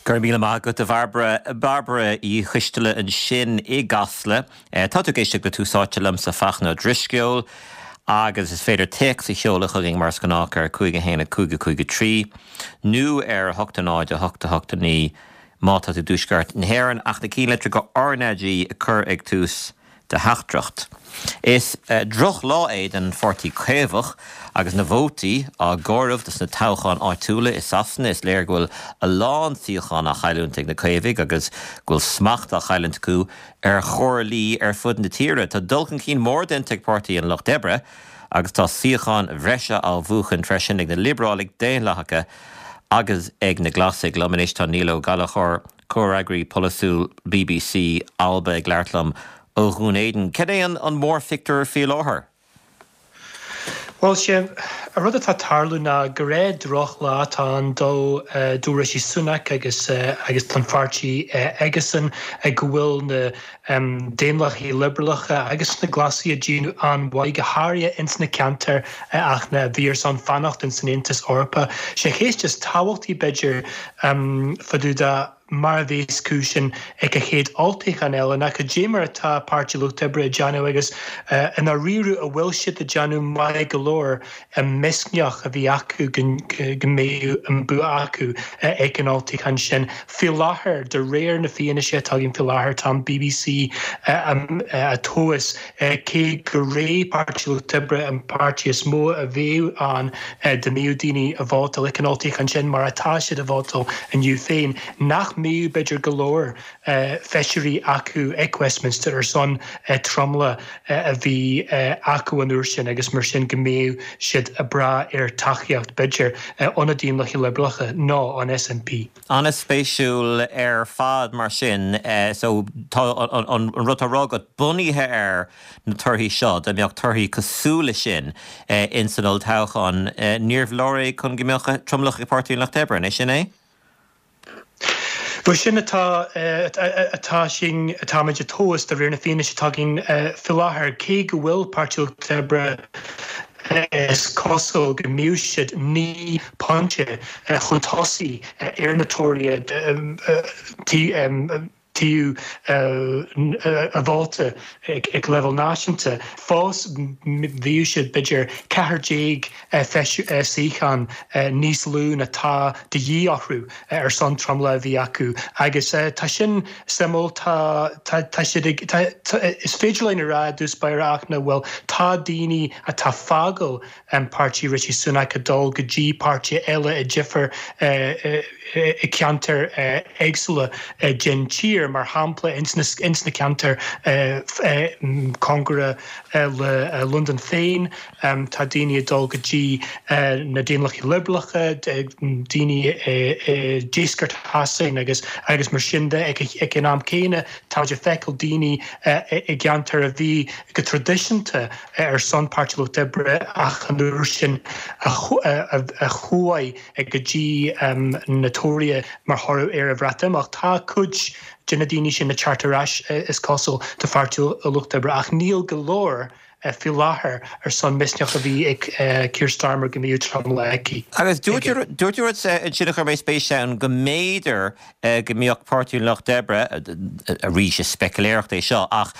Go raibh míle maith agat, a Bhairbre. Bairbre Uí Choisteala ansin i gCasla. Tá tú ag éisteacht le Tús Áite liomsa, Fachtna Ó Drisceoil, agus is féidir téacs a sheoladh chugainn mar is gnách ar 5 1 5 5 3 nó ar 8 0 8 8 9 má tá tú i dTuaisceart na hÉireann, ach na cinnlitreacha RnaG a chur ag tús do theachtaireacht. Is droch-lá é don Pháirtí Caomhach agus na vótaí á gcomhaireamh dos na toghcháin áitiúla i Sasana. Is léir go bhfuil a lán suíochán á chailliúint ag na Caomhaigh agus go bhfuil smacht á chailliúint acu ar chomhairlí ar fud na tíre. Tá dul chun cinn mór déanta ag Páirtí an Lucht Oibre agus tá suíocháin bhreise á bhuachan freisin ag na Liobrálaigh Daonlathacha agus ag na Glasaigh. Liom anois tá Niall Ó Gallchóir. Comhfhreagraí Polaitiúil bbc Alba ag labhairt liom ó Dhún Éideann. Cad é an mórphictiúr faoi láthair? Bhuel, sé an rud atá ag tarlú ná gur é drochlá atá ann do do Rishi Sunak agus agus don pháirtí aigesan go bhfuil na Daonlathaigh Liobralacha agus na Glasaigh ag déanamh an-mhaith, go háirithe ins na ceantair ach na bhí ar son fanacht ins an Aontas Eorpach. Sé cheist is tábhachtaí b'fhéidir fá dtaobh de mar a bheas cúis sin ag an chéad olltoghchán eile ná cad é mar atá Páirtí Lucht Oibre ag déanamh agus i ndáiríre an bhfuil siad ag déanamh maith go leor an misneach a bhí acu go mbeadh an bua acu ag an olltoghchán sin. Faoi láthair, de réir na fianaise atá againn faoi láthair, tá an bbc ag tomhas cé go raibh Páirtí Lucht Oibre an páirtí is mó a bheadh ann dá mbeadh daoine ag vótáil ag an olltoghchán sin mar atá siad ag vótáil inniu féin, nach mbeadh b'fhéidir go leor feisirí acu ag Westminster ar son tromlach a bhí acu an uair sin agus mar sin go mbeadh siad ag brath ar tacaíocht, b'fhéidir, ó na Daonlathaigh Liobralacha nó ón SNP. An-spéisiúil ar fad mar sin. So tá an rud atá á rá agat bunaithe ar na torthaí seo, dá mbeadh torthaí cosúil leis sin ins an olltoghchán, níorbh leor é chun go mbeadh tromlach ag Páirtí an Lucht Oibre, an é sin é? Bhuel, sin atá, atá sin, atáimid ag tomhas de réir na fianaise atá againn faoi láthair. Cé go bhfuil Páirtí Lucht Oibre, is cosúil go mbeadh siad 9 pointe chun tosaigh ar na Tóraithe taobh an vóta ag leibhéal náisiúnta. Fós bheadh siad b'fhéidir 14 suíochán níos lú ná tá de dhíth orthu ar son tromlach a bhí acu agus tá sin suimiúil. Tá tá siad ag tá is féidir linn a rá i dtús báire ach na bhfuil tá daoine atá ag fágáil páirtí Rishi Sunak ag dul go dtí páirtithe eile i difear i ceantair éagsúla den tír, mar shampla ins na ceantair cóngarach le Londain féin. Tá daoine ag dul go dtí na Daonlathaigh Liobralacha, daoine i deisceart Shasain agus agus mar sin de. Ag an am céanna, táimid ag feiceáil daoine i gceantair a bhí go traidisiúnta ar son Páirtí Lucht Oibre ach an uair sin a chuaigh go dtí na Tóraithe mar thoradh ar an Bhreatimeacht. Tá cuid de na daoine sin ag teacht ar ais, is cosúil, do Pháirtí Lucht Oibre ach níl go leor faoi láthair ar son misneach a bhí ag Keir Starmer go mbeadh tromlach aici. Agus dúirt tú rud ansin a chuir mé spéis ann, go mb'fhéidir go mbeadh Páirtí an Lucht Oibre, arís is speiciléireacht é seo, ach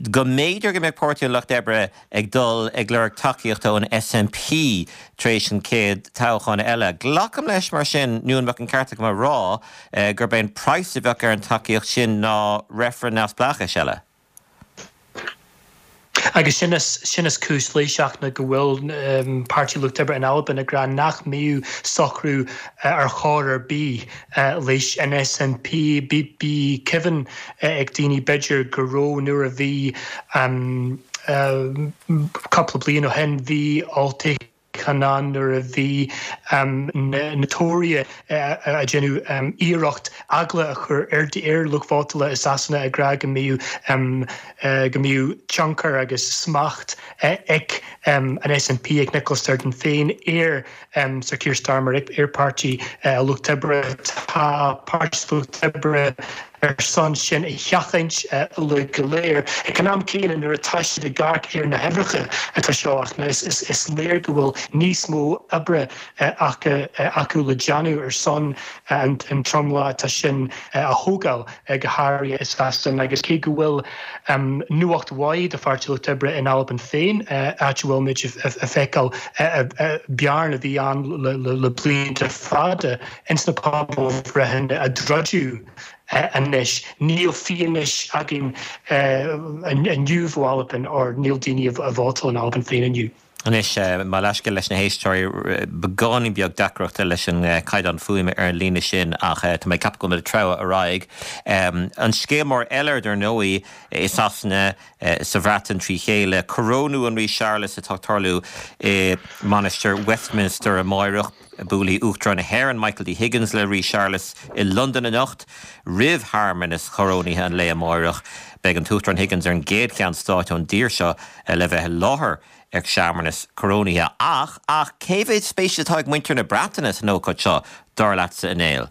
go mb'fhéidir go mbeadh Páirtí an Lucht Oibre ag dul ag lorg tacaíochta ón SNP tar éis an chéad toghchán eile. Glacaim leis mar sin, nó an mbeadh an ceart agam a rá gurb é an praghas a bheadh ar an tacaíocht sin ná reifreann neamhspleáchais eile? Agus sin is, sin is cúis leis ach ná go bhfuil Páirtí Lucht Oibre in Albain ag rá nach mbeadh socrú ar chor ar bith leis an SNP. Bhí cuimhin ag daoine b'fhéidir go raibh nuair a bhí cúpla bliain ó shin bhí olltoghchán ann nuair a bhí na Tóraithe ag déanamh iarracht eagla a chur ar ar lucht vótála i Sasana ag rá go mbeadh go mbeadh tionchar agus smacht ag an SNP, ag Nicola Sturgeon féin ar Sir Keir Starmer, ar Páirtí Lucht Oibre. Tá Páirtí Lucht Oibre. Ar son sin a sheachaint uilig go léir. Ag an am céanna nuair atá siad ag amharc ar na huimhreacha atá seo ach is léir go bhfuil níos mó oibre acu le déanamh ar son an tromlach atá sin a thógáil go háirithe i Sasana agus cé go bhfuil nuacht mhaith do Pháirtí Lucht Oibre in Albain féin áit a bhfuil muid ag feiceáil bearna a bhí ann le blianta fada ins na pobalbhreitheanna a druideadh anois. Níl fianaise againn inniu ó Albain or níl daoine ag vótáil in Albain féin inniu. Anois, mo leithscéal leis na héisteoirí, beagáinín beag deacrachta leis an gcaighdeán fuaime ar an líne sin ach tá mé ag ceapadh go bhfuil muid ag treabhadh ar aghaidh. An scéal mór eile, dar ndóigh, i Sasana, sa Bhreatain trí chéile, corónú an Rí Séarlas atá ag tarlú i Mainistir Westminster amáireach. Buailfidh Uachtarán na hÉireann Michael D Higgins le Rí Séarlas i Londain anocht roimh shearmanas chorónaithe an lae amáireach. Beidh an tUachtarán Higgins ar an gcéad cheann stáit ón dtír seo le bheith i láthair ag searmanas corónaithe. Ach, ach, cé mhéad spéis atá ag muintir na Breataine san ócáid seo, dar leatsa, a Néill?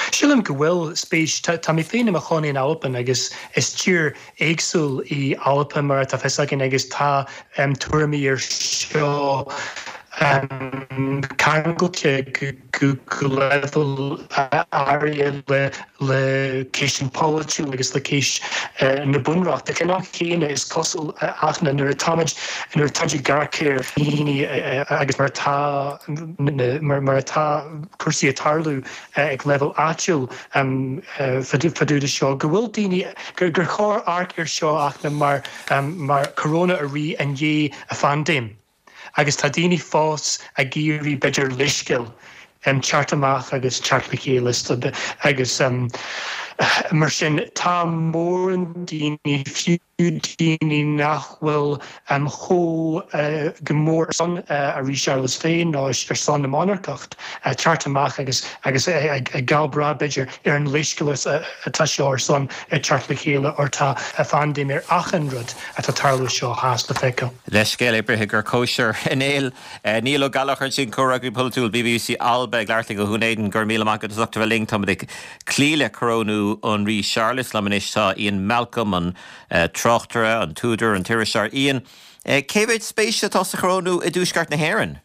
Sílim go bhfuil spéis. Tá mé féin i mo chónaí in Albain agus is tír éagsúil í Albain mar atá fios againn agus tá tuairimí ar seo ceangailte go leibhéal áirithe le ceist polaitiúil agus le ceist na bunreachta. Ag an am chéanna is cosúil Fhachtna nuair atáimid nuair atáimid ag amharc ar dhaoine agus mar atá mar atá cúrsaí ag tarlú ag leibhéal áitiúil fá dtaobh de seo, go bhfuil daoine, gur chóir amharc ar seo Fhachtna mar mar corónú an rí i ndiaidh an phaindéim agus tá daoine fós ag iarraidh b'fhéidir leithscéal teacht amach agus teacht le chéile agus mar sin tá mórán daoine fiú daoine nach bhfuil chomh go mór ar son an Rí Séarlas féin nó ar son na monarcacht, teacht amach agus agus ag gabháil breá b'fhéidir ar an leithscéal atá seo ar son teacht le chéile or tá phaindéim ar achan rud atá tarlú seo theas le feiceáil. Leithscéal oibrithe gur cóisir a Néill. Niall Ó Gallchóir ansin, Comhfhreagraí Polaitiúil BBC Alba ag labhairt linn ó Dhún Éideann. Go raibh míle maith agat as ucht a bheith linn. Táimid ag cloí le corónú an Rí Séarlas. Liom anois tá Ian Malcolm, an tráchtaire, an t-údar, an t-iriseoir. Ian, cé mhéad spéise atá sa chorónú i dTuaisceart na hÉireann?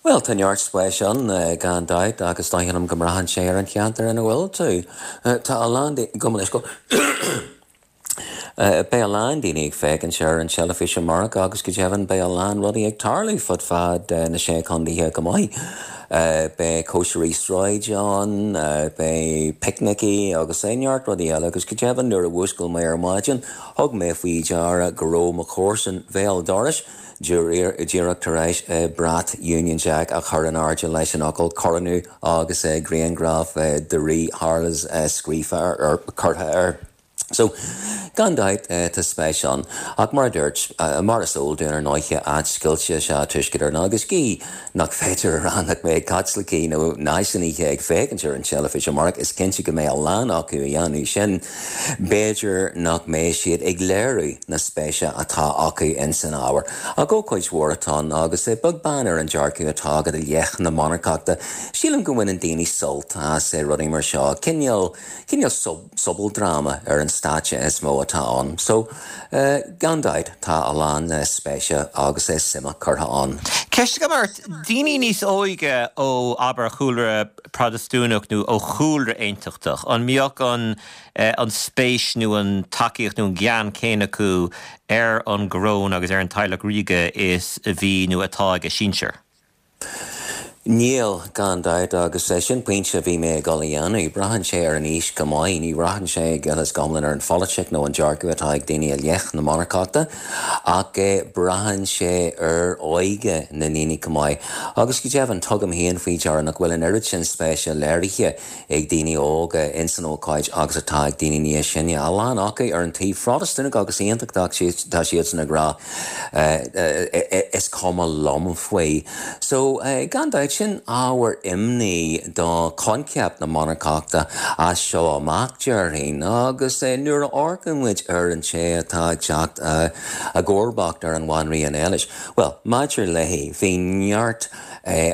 Bhuel, tá neart spéis ann, gan dabht, ach is dóigh liom go mbraitheann sé ar an cheantar ina bhfuil tú. Tá a lán daoine, gabh mo leithscéal. Beidh a lán daoine ag féachaint ar an teilifís amárach agus go deimhin beidh a lán rudaí ag tarlú fud fad na Sé Chontaetha go maith. Beidh cóisirí sráide ann, beidh picnicí agus neart rudaí eile agus go deimhin nuair a mhúscail mé ar maidin thug mé faoi deara go raibh mo chomharsan bhéal dorais díreach tar éis brat Union Jack a chur in airde leis an fhocal 'Coronú' agus grianghraf de Rí Sháras scríofa ar, curtha air. So, gan dabht, tá spéis ann. Ach mar a dúirt, mar is eol dúinn ar ndóiche, áit scoilte is ea Tuaisceart Éireann agus gí nach féidir a rá nach mbeidh Caitlicigh nó náisiúnaithe ag féachaint ar an teilifís amárach, is cinnte go mbeidh a lán acu a dhéanamh sin. B'fhéidir nach mbeidh siad ag léiriú na spéise atá acu ins an ábhar. Ach ócáid mhór atá ann agus beag beann ar an dearcadh atá agat i leith na monarcachta, sílim go mbaineann daoine sult as rudaí mar seo. Cineál, cineál sobaldráma ar an stáitse is mó atá ann. So, gan dabht, tá a lán spéise agus suime curtha ann. Ceist agam ort, daoine níos óige ó, abair, chúlra Protastúnach nó ó chúlra Aontachtach, an mbeadh an an spéis nó an tacaíocht nó an gean céanna acu ar an gcoróin agus ar an teaghlach ríoga is a bhí nó atá ag a sinsir? Níl, gan dabht, agus sin pointe a bhí mé ag dul a dhéanamh. Braitheann sé ar an aois go maith. Ní bhraitheann sé go huile is go hiomlán ar an pholaitíocht nó an dearcadh atá ag daoine i leith na monarcachta, ach braitheann sé ar óige na ndaoine go maith. Agus go deimhin, tugaim féin faoi deara nach bhfuil an oiread sin spéise léirithe ag daoine óga ins an ócáid agus atá ag daoine níos sine. A lán acu ar an taobh Phrotastúnach agus Aontachtach tá siadsan ag rá is cuma liom faoi. So, gan dabht. Sin ábhar imní do choincheap na monarcachta as seo amach, déarfainn. Agus nuair a amharcann muid ar an té atá ag teacht i gcomharbacht ar an Bhanríon Éilis, bhuel, maidir léi, bhí neart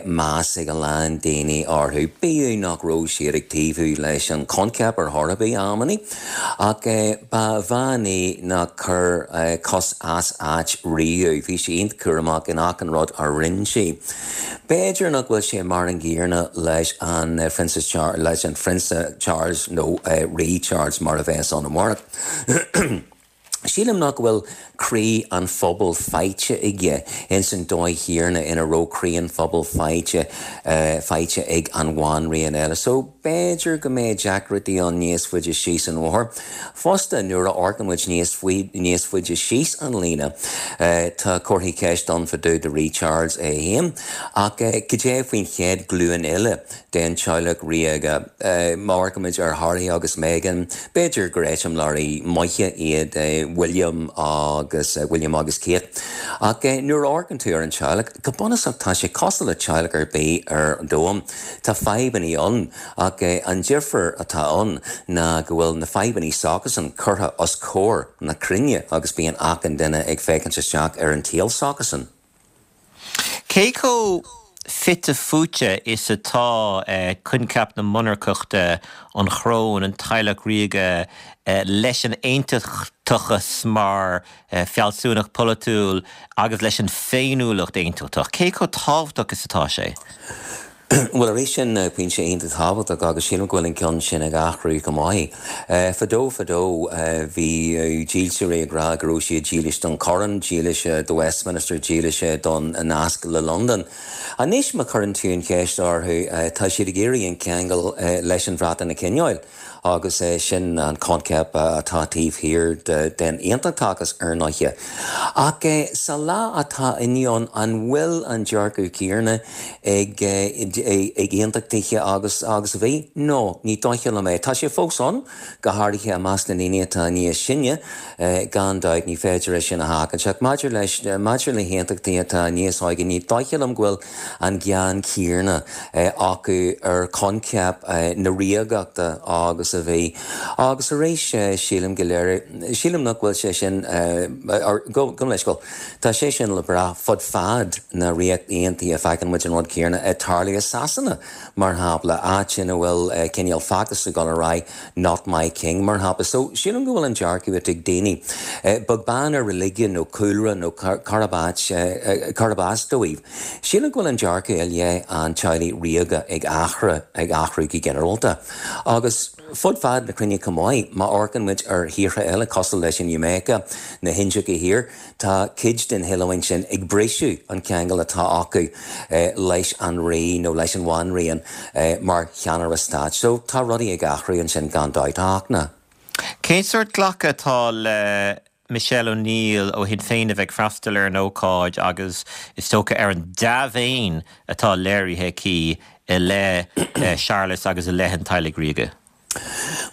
meas ag a lán daoine orthu, bíodh nach raibh siad ag taobhú leis an choincheap ar chor ar bith, amannaí, ach ba bhean í nach chuir cos as áit riamh. Bhí sí iontach cúramach in achan rud a rinne sí. B'fhéidir nach bhfuil sé mar an gcéanna leis an Phrionsa leis an Phrionsa Charles nó Rí Charles mar a bheas ann amárach. Sílim nach bhfuil croí an phobail faighte aige ins an dóigh chéanna ina raibh croí an phobail faighte faighte ag an Bhanríon Éilis. So b'fhéidir go mbeidh deacrachtaí ann níos faide síos an bhóthar. Fosta, nuair a amharcann muid níos níos faide síos an líne, tá comharthaí ceist ann fá dtaobh de Rí Charles é féin. Ach cad é faoin chéad ghlúin eile den teaghlach ríoga. Má amharcaimid ar Harry agus Meghan, b'fhéidir gur eiseamláirí maithe iad William agus William agus Kate. Ach nuair a amharcann tú ar an teaghlach, go bunúsach tá sé cosúil le teaghlach ar bith ar an domhan. Tá fadhbanna ann, ach an difear atá ann ná go bhfuil na fadhbanna s'acusan curtha os comhair na cruinne agus bíonn achan duine ag féachaint isteach ar an tsaol s'acusan. Cé chomh fite fuaite is atá coincheap na monarcachta, an choróin, an teaghlach ríoga, leis an aontachtachas mar fealsúnacht pholaitiúil agus leis an féiniúlacht aontachtach? Cé chomh tábhachtach is atá sé? Bhuel, arís, sin pointe iontach tábhachtach agus sílim go bhfuil an ceann sin ag athrú go maith. Fadó fadó bhí dílseoirí ag rá go raibh siad dílis don choróin, dílis do Westminster, dílis don nasc le Londain. Anois má chuireann tú an cheist orthu tá siad ag iarraidh an ceangal leis an Bhreatain a choinneáil. Agus sin an coincheap atá taobh thiar den aontachtachas, ar ndóighe. Ach sa lá atá inniu ann, an bhfuil an dearcadh céanna ag aontachtaithe agus agus a bhí? No, ní dóiche liom é. Tá sé fós ann, go háirithe i measc na ndaoine atá níos sine, gan dabht, ní féidir é sin a sheachaint. Ach maidir leis, maidir le haontachtaithe atá níos óige, ní dóiche liom go bhfuil an gean céanna acu ar choincheap na ríogachta agus a bhí. Agus arís, sílim go léir, sílim nach bhfuil sé sin, gabh mo leithscéal, tá sé sin le brath fud fad na Ríochta Aontaithe, feiceann muid an rud céanna ag tarlú i Sasana, mar shampla, áit ina bhfuil cineál feachtas ag dul ar aghaidh, Not My King, mar shampla. So, sílim go bhfuil an dearcadh atá ag daoine, beag beann ar religion nó cúlra nó cárb áit, cárb as dóibh, sílim go bhfuil an dearcadh i leith an teaghlaigh ríoga ag athrú, ag athrú go ginearálta. Agus fud fad na cruinne chomh maith, má amharcann muid ar thíortha eile cosúil leis an Iamáice, na hIndiacha Thiar, Tá cuid den oileán sin ag briseadh an ceangal atá acu leis an rí nó leis an bhanríon mar cheannaire stáit. So tá rudaí ag athrú ansin gan dabht, a Fhachtna. Cén sórt glacadh atá le Michelle O'Neill ó Shinn Féin a bheith ag freastal ar an ócáid agus is dócha ar an dea-mhéin atá léirithe aici i leith Séarlas agus i leith an teaghlaigh ríoga?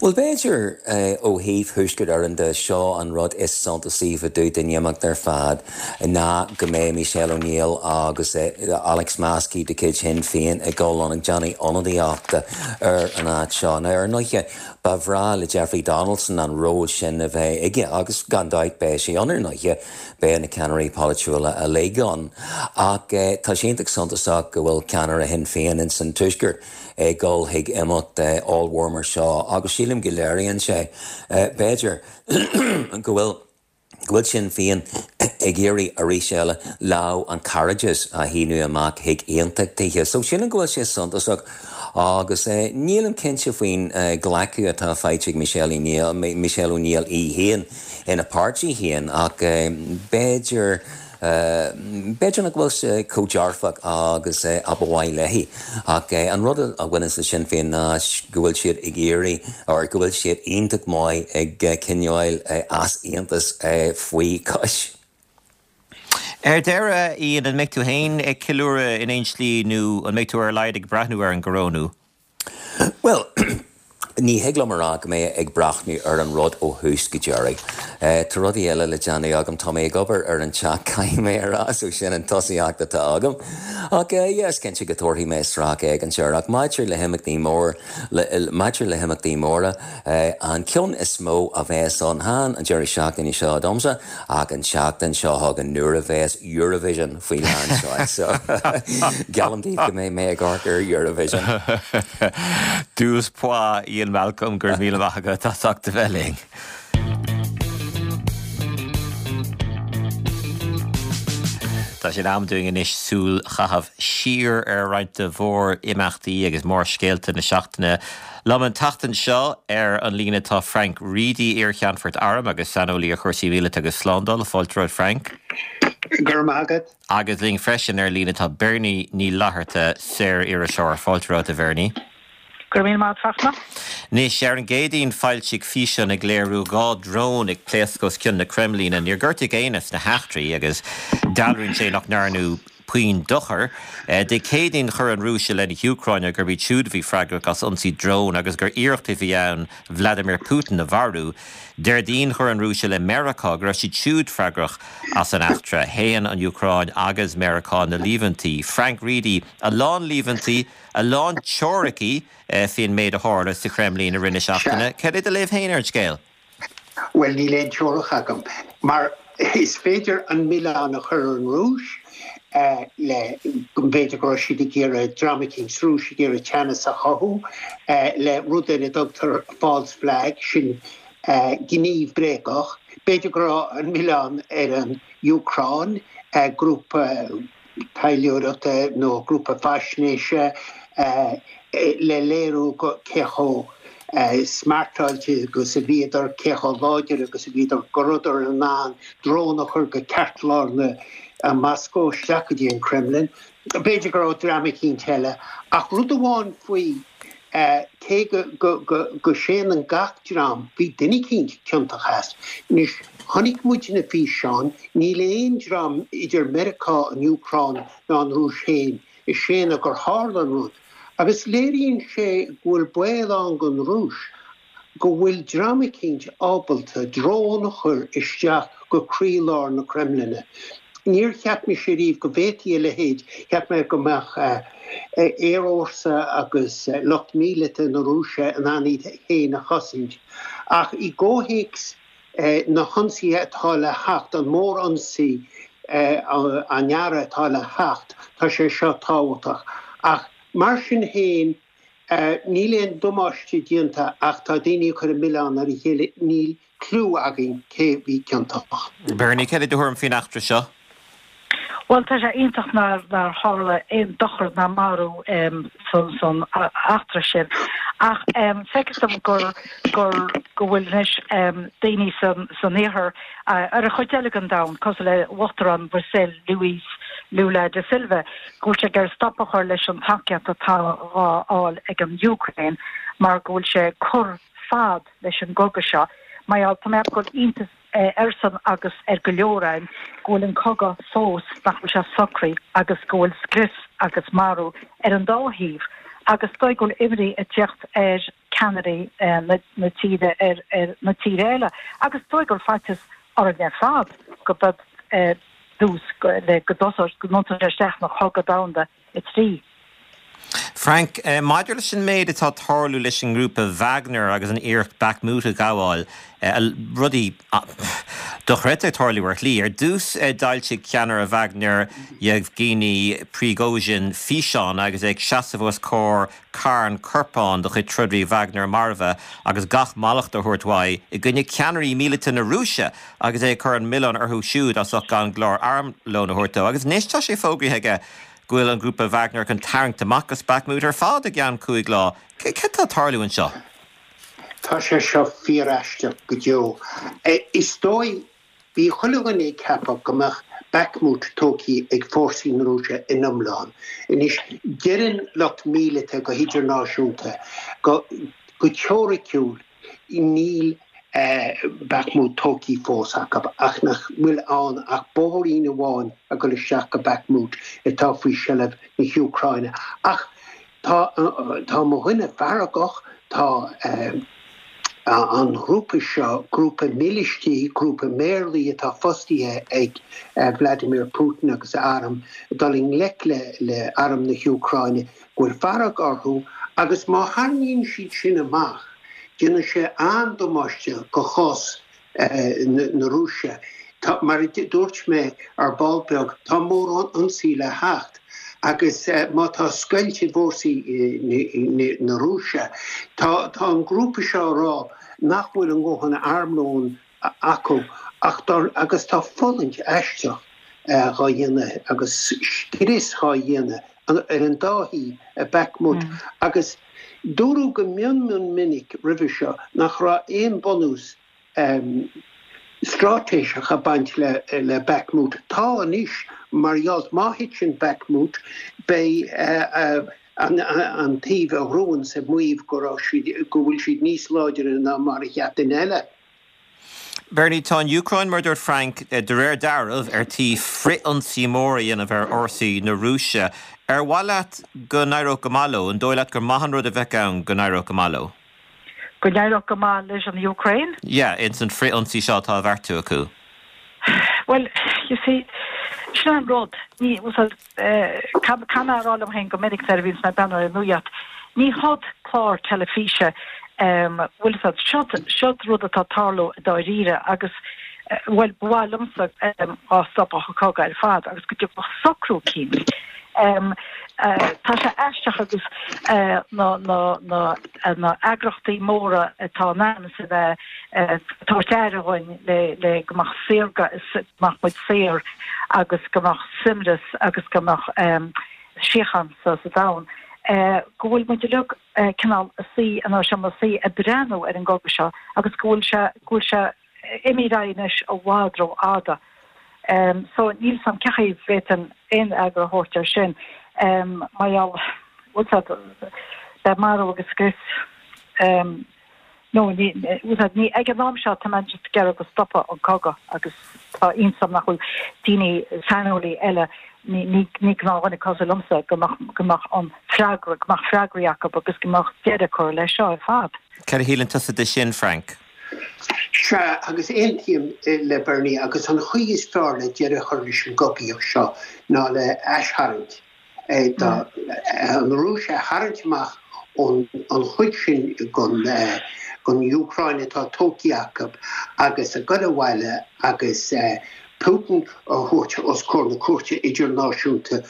Bhuel, b'fhéidir, ó thaobh Thuaisceart Éireann de, seo an rud is suntasaí fá dtaobh den imeacht ar fad, ná go mbeidh Michelle O'Neill agus Alex Maskey de chuid Shinn Féin ag dul ann ag déanamh ionadaíochta ar an áit seo. Now, ar ndóighe, ba bhreá le Jeffrey Donaldson an ról sin a bheith aige, agus gan dabht beidh sé ann, ar ndóighe, beidh na ceannairí polaitiúla uilig ann. Ach tá sé iontach suntasach go bhfuil ceannaire Shinn Féin ins an Tuaisceart, ag dul chuig imeacht ollmhór mar seo agus sílim go léiríonn sé, b'fhéidir, go bhfuil, go bhfuil Sinn Féin ag iarraidh arís eile lámh an chairdis a shíneadh amach chuig aontachtaithe. So sílim go bhfuil sé suntasach agus nílim cinnte faoin ghlacadh atá faighte ag Michelle O'Neill, Michelle O'Neill í féin ina páirtí féin ach b'fhéidir, B'fhéidir nach bhfuil sé chomh dearfach agus a ba mhaith léi, ach an rud a bhaineanns le Sinn Féin ná go bhfuil siad ag iarraidh, or go bhfuil siad iontach maith ag coinneáil easaontas faoi chois. Ar deireadh, Ian, an mbeidh tú féin ag ceiliúradh in aon slí nó an mbeidh tú ar a laghad ag breathnú ar an gcorónú? Bhuel, Ní thig liom a rá go mbeidh ag breathnú ar an rud ó thús go deireadh. Tá rudaí eile le déanamh agam, tá mé ag obair ar an teach caithfidh mé a rá, so sin an tosaíocht atá agam. Ach yeah, is cinnte go dtabharfaidh mé sracfhéachaint air. Ach maidir le himeachtaí mór, maidir le himeachtaí móra, an ceann is mó a bheas ann, chan an deireadh seachtaine seo domsa, ach an tseachtain seo chugainn nuair a bheas Eurovision faoi lán seoil. So, geallaim daoibh go mbeidh mé ag amharc ar Eurovision. Douze points, Ian Malcolm, go raibh míle maith agat as ucht a bheith linn. Tá sé in am dúinn anois súil a chaitheamh siar ar roinnt de mhór-imeachtaí agus mórscéalta na seachtaine. Liom an tseachtain seo ar an líne tá Frank Reidy, iar-Cheannfort Airm agus saineolaí ar chúrsaí míleata agus slándála. Fáilte romhat Frank. Go raibh maith agat. Agus linn freisin ar líne tá Bernie Ní Fhlatharta, saor-iriseoir. Fáilte romhat a Bhernie. Go raibh míle maith agat Fachtna. Anois, ar an gCéadaoin foilsíodh físeán ag léiriú 2 drón ag pléascadh os cionn na Creimlíne. Níor gortaíodh éinne sna heachtraí agus dealraíonn sé nach ndearnadh puinn dochair. Dé Céadaoin chuir an Rúis i leith na hÚcráine gurb iad siúd a bhí freagrach as ionsaí drón agus gur iarracht a bhí ann Vladimir Putin a mharú. Déardaoin chuir an Rúis i leith Meiriceá go raibh siad siúd freagrach as an eachtra. Shéan an Úcráin agus Meiriceá na líomhaintí. Frank Reidy, A lán líomhaintí, a lán teoiricí faoin méid a tharla sa Chreimlín i rith na seachtaine. Cad é do léamh féin ar an scéal? Bhuel, níl aon teoiric agam, mar is féidir an milleán a chur ar an Rúis le go mb'fhéidir go raibh siad ag iarraidh, dream eicínt sa Rúis ag iarraidh teannas a chothú le rud ar a dtugtar false flag, sin gníomh bréagach. B'fhéidir go raibh an milleán ar an Úcráin, grúpa. taidhleoireachta nó grúpa faisnéise le léiriú cé chomh smeartáilte agus a bhíodar, cé chomh láidir agus a bhíodar, go rabhadar in ann drón a chur go ceartlár na Moscó isteach go dtí an Kremlin. B'fhéidir go raibh dream eicínt eile. Ach rud amháin faoi, cé go séanann gach dream, bhí duine eicínt ciontach as. Anois, chonaic muid na físeáin, níl aon dream idir Meiriceá, an Úcráin ná an Rúis féin ag séanadh gur tharla an rud. Agus léiríonn sé go bhfuil baol ann don Rúis go bhfuil dream eicínt ábalta drón a chur isteach go croílár na Creimline. Níor cheap mise riamh go bhféadfaí a leithéid, cheap mé go mbeadh aerfhórsa agus lucht míleata na Rúise in ann iad féin a chosaint. Ach i gcomhthéacs na hionsaithe atá le theacht, an mór-ionsaí an earraigh atá le theacht, tá sé seo tábhachtach. Ach mar sin féin, Níl aon damáiste déanta ach tá daoine ag cur an milleán ar a chéile, níl cliú againn cé bhí ciontach. Bernie, cad é do thuairim faoin eachtra seo? Bhuel, tá sé iontach nár tharla aon dochar ná marú san eachtra sin. Ach feictear dom gur gur go bhfuil anois daoine san iarthar, ar an chuid eile den domhan, cosúil le Uachtarán Bhrasaíl, Luiz Lula da Silva, go bhfuil sé ag iarraidh stop a chur leis an tacaíocht atá dhá fháil ag an Úcráin mar go bhfuil sé ag cur fad leis an gcogadh seo. Mar gheall, tá mé ag ceapadh go bhfuil iontas airsean agus ar go leor againn go bhfuil an cogadh fós, nach bhfuil sé socraithe agus go bhfuil scrios agus marú ar an dá thaobh agus is dóigh go bhfuil imní ag teacht ar ceannairí na tíre ar na tíre eile agus is dóigh go bhfuil faitíos orainn ar fad go bead dtús le go dtosóidh, go dtiontóidh sé isteach ina chogadh domhanda a 3. Frank, maidir leis an méid atá ag tarlú leis an ngrúpa Wagner agus an iarracht Bakhmut a ghabháil, rudaí dochreidte ag tarlú ar shlí. Ar dtús d'fhoilsigh ceannaire Wagner, Yevgeny Prigozhin, físeán agus é ag seasamh os comhair carn corpán de chuid troidirí Wagner marbha agus gach mallacht á thabhairt uaidh i gcoinne ceannairí míleata na Rúise agus é ag cur an milleán orthu siúd as ucht gan go leor armlóin a thabhairt dó. Agus anois tá sé fógraithe aige go bhfuil an grúpa Wagner chun tarraingt amach as Bakhmut ar fad i gceann 5 lá. Céard atá ag tarlú anseo? Tá sé seo fíor-aisteach go deo. Is dóigh Bhí chuile dhuine ag ceapadh go mbeadh Bakhmut tógtha ag fórsaí na Rúise in iomlán. Anois, deireann lucht míleata go hidirnáisiúnta go go teoiriciúil níl Bakhmut tógtha fós acu ach nach bhfuil ann ach bóithrín amháin ag dul isteach go Bakhmut atá faoi seilbh na hÚcráine. Ach. Tá tá mo dhuine feargach, tá an ghrúpa seo, grúpa mílístí, grúpa méarlaí atá fostaithe ag Vladimir Putin agus a arm, ag dul i ngleic le le arm na hÚcráine, go bhfuil fearg orthu agus má tharraingíonn siad sin amach, déanfaidh sé an-damáiste do chás na Rúise. Tá, mar a dúirt mé ar ball beag, tá mórán ionsaí le theacht agus má tá scoilt i bhfórsaí na Rúise, tá an grúpa seo ag rá nach bhfuil a ndóthain armlóin acu ach agus tá fulaingt aisteach dhá dhéanamh agus scrios dhá dhéanamh ar an dá thaobh i Bakhmut agus dúradh go mion mion minic roimhe seo nach raibh aon bunús straitéiseach ag baint le Bakhmut. Tá anois mar gheall má thiteann Bakhmut beidh an taobh a ghnóthaíonns ag maíomh go raibh siad, go bhfuil siad níos láidre ná mar a cheap duine eile. Bernie, tá an Úcráin, mar a dúirt Frank, de réir dealraimh, ar tí frith-ionsaí mór a dhéanamh ar fhórsaí na Rúise. Ar mhaith leat go n-éireodh go maith leo? An dóigh leat gur maith an rud a bheadh ann go n-éireodh go maith leo? Go n-éireodh go maith leis an Úcráin? Yeah, ins an frith-ionsaí seo atá á bheartú acu. Bhuel, you see, sin an rud. Ní, Caithfidh mé a rá liom féin go minic nuair a bhíonns mé ag breathnú ar an nuacht, ní hod clár teilifíse, bhfuil fhios a'd, seod, seod rud atá ag tarlú i dáiríre agus, bhuel, ba mhaith liomsa dhá stopfadh an cogadh ar fad agus go dtiocfadh socrú eicínt. Tá sé aisteach agus na, na, na, na eagrachtaí móra atá in ainm is a bheith ag tabhairt aire dhuinn le, le go mbeadh saorga, go mbeadh muid saor agus go mbeadh suaimhneas agus go mbeadh síocháin sa domhan, go bhfuil muid uilig cineál ag suí inár seomra suí ag breathnú ar an gcogadh seo agus go bhfuil sé, go bhfuil sé imithe ar aghaidh anois i bhfad rófhada. So níl 's a'm cén chaoi a bhféadfainn aon fhreagra a thabhairt air sin mar gheall, bhfuil 's a'd, beidh marú agus scrios. No, ní, ní, ag an am seo tá mé just ag iarraidh go stopfadh an cogadh agus tá iontas orm nach bhfuil daoine, saineolaí eile, ní, ní, ní gnáthdhuine cosúil liomsa, go mbeadh, go mbeadh an freagra, go mbeadh freagraí acu agus go mbeadh deireadh curtha leis seo ar fad. Cad a shíleann tusa de sin, Frank? Sea, agus aontaím le Bernie, agus an chaoi is fearr le deireadh a chur leis an gcogaíocht seo ná le haistharraingt. an Rúis a tharraingt amach ón chuid sin den Úcráin atá tógtha acu agus a ghoil abhaile agus Putin a thabhairt os comhair na cúirte idirnáisiúnta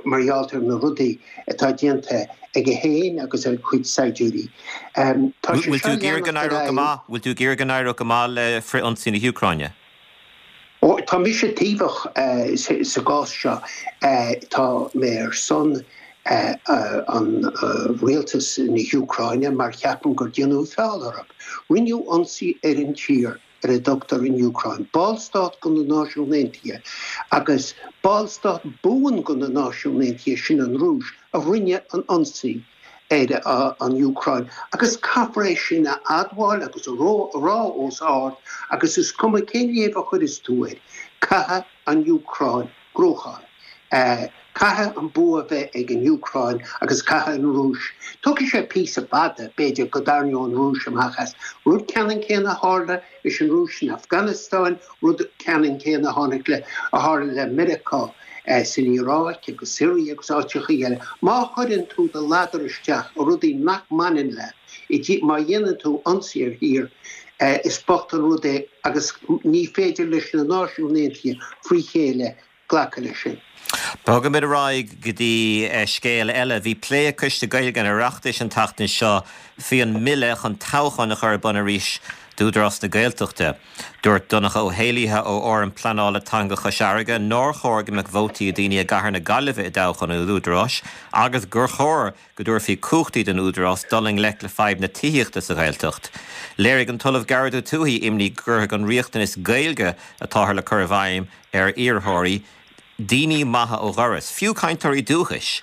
mar gheall ar na rudaí atá déanta aige féin agus a chuid saighdiúirí. Tá sé seo ag leanacht ar aghaidh. Bhfuil tú ag iarraidh go n-éireodh go maith le frith-ionsaí na hÚcráine? Ó, tá mise taobhach sa gcás seo. Tá mé ar son an rialtas na hÚcráine mar ceapaim gur déanadh feall orthu. Rinneadh ionsaí ar an tír ar a dtugtar an Úcráin, ballstát de na Náisiúin Aontaithe agus ballstát buan de na Náisiúin Aontaithe, sin an Rúis, a rinne an ionsaí. ar an Úcráin agus caithfear é sin a admháil agus a rá os ard agus is cuma cén léamh a chuireas tú air, caithfidh an Úcráin gnóthachan. Caithfidh an bua bheith ag an Úcráin agus caithfidh an Rúis, tógfaidh sé píosa fada b'fhéidir go dtarraingeodh an Rúis amach as. Rud ceannann céanna a tharla leis an Rúis san Afganastáin, rud ceannann céanna a tháinig le, a tharla le Meiriceá. san Iaráic agus Siria agus áiteachaí eile, má chuireann tú do ladar isteach i rudaí nach mbaineann leat, má dhéanann tú ionsaí ar thír, is bocht an rud é agus ní féidir leis na Náisiúin Aontaithe frí chéile glacadh leis sin. Bogaimid ar aghaidh go dtí scéal eile. Bhí plé ag Coiste Gaeilge an Oireachtais an tseachtain seo faoi an mbille chun toghcháin a chur ar bun arís d'Údarás na Gaeltachta. Dúirt Donncha Ó hÉallaithe ó Fhóram Pleanála Teanga Chois Fharraige nár chóir go mbeadh vótaí ag daoine i gcathair na Gaillimhe i dtoghchán an Údaráis agus gur chóir go dtabharfaí cumhachtaí don Údarás dul i ngleic le fadhb na tithíochta sa Ghaeltacht. Léirigh an tOllamh Gearóid Ó Tuathaigh imní go gcuirfeadh an riachtanas Gaeilge atáthar le cur i bhfeidhm ar iarrthóirí daoine maithe ó dhoras, fiú cainteoirí dúchais.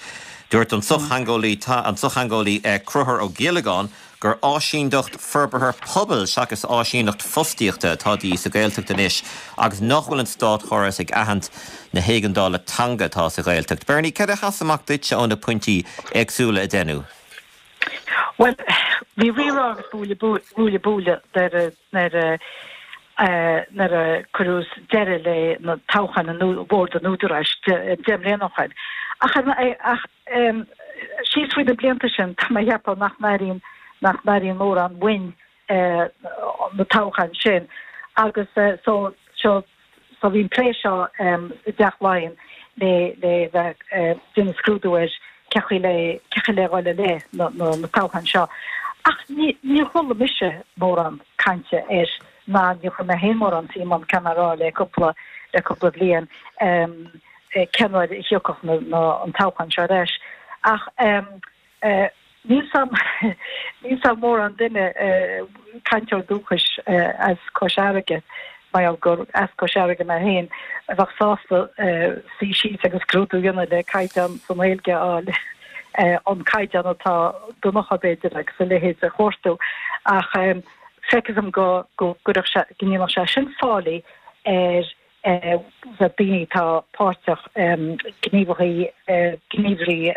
Dúirt an sochtheangeolaí an sochtheangeolaí Conchúr Ó Giollagáin gur áisíndeacht forbartha pobail seachas áisíneacht fostaíochta atá de dhíth sa Ghaeltacht anois agus nach bhfuil an státchóras ag aithint na héigeandála teanga atá sa Ghaeltacht. Bernie, céard a sheas amach duitse ó na pointí éagsúla a deineadh? Bhuel, bhí rírá agus buaile buaile nuair a nuair a cuireadh deireadh le na toghcháin an Bhord an Údaráis 10 mbliana ó shoin. Ach ach síos fríd na blianta sin tá mé a cheapadh nach n-airíonn nach n-airíonn mórán uainn na toghcháin sin agus so seo so bhí an plé seo i dTeach Laighean le le bheith ag déanamh scrúdú ar cé chaoi le cé chaoi le dhul i leith na na na toghcháin seo. Ach ní níor chuala mise mórán cainte air ná níor chuir mé féin mórán suim ann caithfidh mé a rá le cúpla le cúpla bliain cén uair a thiocfadh na na an toghchán seo ar ais. Ach níl 's a'm níl 's a'm mórán duine cainteoir dúchais as Cois Fharraige, mar gheall gur as Cois Fharraige mé féin, a bheadh sásta suí síos agus scrúdú a dhéanamh le caighdeán sa nGaeilge a fháil, an caighdeán atá Donncha b'fhéidir agus a leithéid a chuartú. Ach feictear dom go go gcuirfeadh sé go ndéanfadh sé sin faillí ar daoine atá páirteach, gníomhaithe, gníomhairí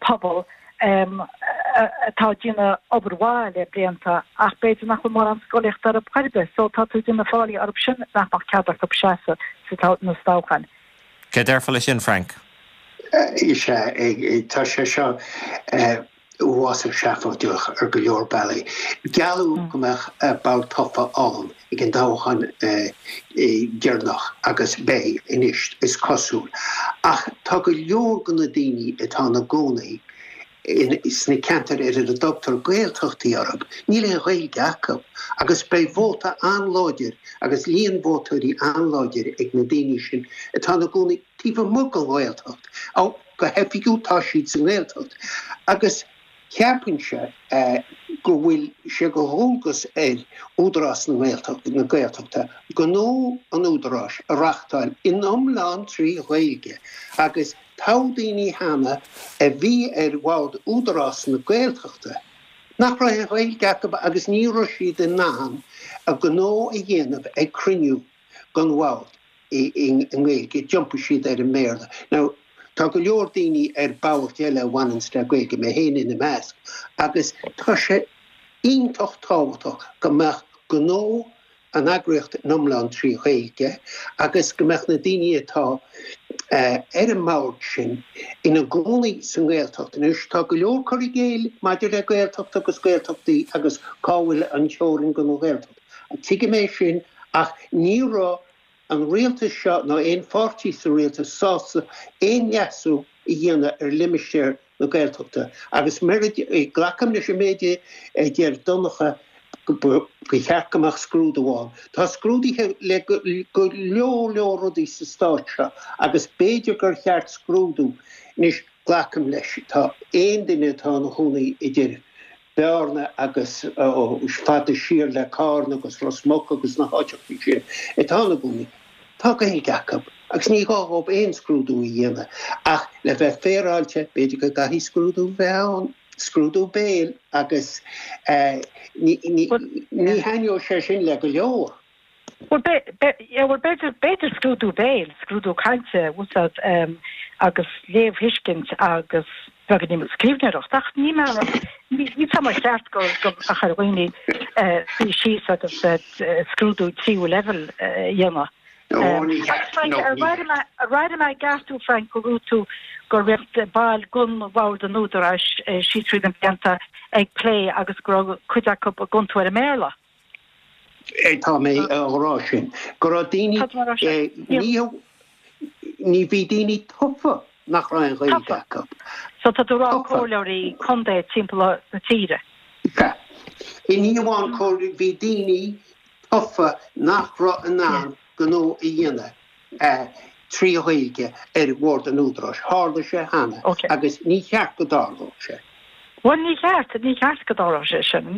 pobail atá ag déanamh obair mhaith le blianta ach b'fhéidir nach bhfuil mórán scolaíochta orthu chor ar bith so tá tú ag déanamh faillí orthu sin nach mbeadh cead acu seasamh sna toghcháin. Cé déarfá leis sin, Frank? Is ea, tá sé seo uafásach seafóideach ar go leor bealaí. Gealladh go mbeadh bord tofa ann ag an dtoghchán deireanach agus beidh anois, is cosúil. Ach tá go leor de na daoine atá ina gcónaí sna ceantair ar a dtugtar Gaeltachtaí orthu, níl aon Ghaeilge acu agus beidh vóta an-láidir agus líon vótóirí an-láidir ag na daoine sin atá ina gcónaí taobh amuigh den Ghaeltacht. Go hoifigiúil tá siad sa nGaeltacht agus cheapfainnse go bhfuil sé de dhualgas ar Údarás na Gaeltachta gnó an Údaráis a reachtáil in iomlán trí Ghaeilge agus toghadh daoine cheana a bhí ar bhord Údarás na Gaeltachta nach raibh aon Ghaeilge acu agus ní raibh siad in ann a ngnó a dhéanamh ag cruinniú den bhord. i nGaeilge, d'iompaigh siad ar an mBéarla. Now, tá go leor daoine ar boird eile a bhaineanns le Gaeilge, mé féin ina measc, agus tá sé iontach tábhachtach go mbeadh gnó an eagraíocht in iomlán trí Ghaeilge agus go mbeadh na daoine atá ar an mbord sin ina gcónaí sa nGaeltacht. Anois, tá go leor cur i gcéill maidir le Gaeltacht agus Gaeltachtaí agus cá bhfuil an teorainn don Ghaeltacht. Tuigim é sin ach ní raibh an rialtas seo ná aon pháirtí sa rialtas sásta aon leasú a dhéanamh ar limistéar na Gaeltachta agus glacaim leis an méid a deir Donncha go cheart go mbeadh scrúdú ann. Tá scrúduithe le go leor leor rudaí sa stát seo agus b'fhéidir gur cheart scrúdú anois glacaim leis tá aon duine atá ina chónaí idir Bearna agus fada siar le Carna agus Ros Muc agus na háiteachaí sin atá ina gcónaí, tá Gaeilge acu agus ní gá dhóibh aon scrúdú a dhéanamh. Ach le bheith féaráilte, b'fhéidir go gcaithfidh scrúdú a bheith ann, scrúdú béil, agus ní thaitneoidh sé sin le go leor. Bhuel, b'fhéidir, b'fhéidir scrúdú béil, scrúdú cainte a úsáid agus léamhthuiscint agus beagáinín scríbhneoireacht ach ní mar, ní tá mar cheart go go mbeadh ar dhaoine suí síos agus scrúdú tríú leibhéal a dhéanamh. Agus Frank, ar airigh mé i gceart thú, Frank, go raibh tú go raibh baill den bhord an Údaráis síos tríd na blianta ag plé agus go raibh cuid acu ag iontú ar an mBéarla. Tá mé á rá sin, go raibh daoine, ní bhí daoine tofa nach raibh aon Ghaeilge acu. So tá tú ag rá comhairleoirí contae timpeall na tíre? Sea. Ní amháin comhairleoirí, bhí daoine tofa nach raibh in ann gnó a dhéanamh. 3 Ghaeilge ar bhord an Údaráis. Tharla sé cheana agus ní cheart go dtarlódh sé. Bhuel, ní cheart, ní cheart go dtarlódh sé sin.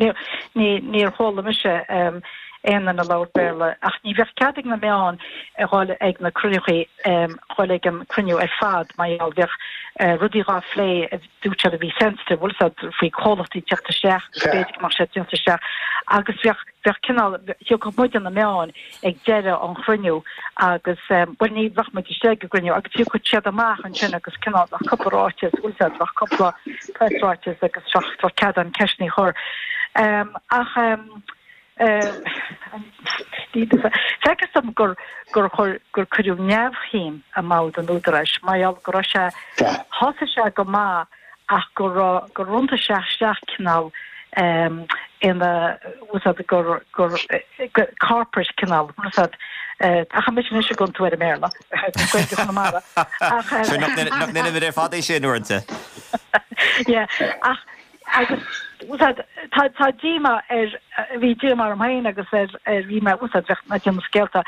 Níor chuala mise aon. aon duine ag labhairt Béarla ach ní bheadh cead ag na meáin a dhul ag na cruinnithe, dhul ag an cruinniú ar fad mar gheall bheadh rudaí dhá phlé a dúirt siad a bhí sensitive, bhfuil 'fhios a'd, faoi chomhlachtaí teacht isteach agus b'fhéidir go mbeadh siad teacht isteach agus bheadh, bheadh cineál, thiocfadh muide na meáin ag deireadh an chruinniú agus, bhuel ní bheadh muid istigh ag an gcruinniú agus thiocfadh siad amach ansin agus cineál bheadh cúpla ráiteas, bhfuil 'fhios a'd, bheadh cúpla preasráiteas agus bheadh, bheadh cead ann ceisteanna a chur. Ach feictear dom gur, gur chuir, gur cuireadh neamhshuim i mbord an Údaráis mar gheall go raibh sé, thosaigh sé go maith ach go raibh, gur iontaigh sé isteach cineál ina, bhfuil 'fhios a'd, gur, gur, corporate cineál, bhfuil 'fhios a'd, ach mise anois ag iontú ar an mBéarla, Gaeilge Chonamara, ach. Sure, nach ndéanaimid ar fad é sin uaireanta? Yeah, ach, agus, bhfuil 'fhios a'd, tá, tá díomá ar, bhí díomá orm féin agus ar, ar, bhí mé, bhfuil 'fhios a'd, bheadh mé ag déanamh scéalta,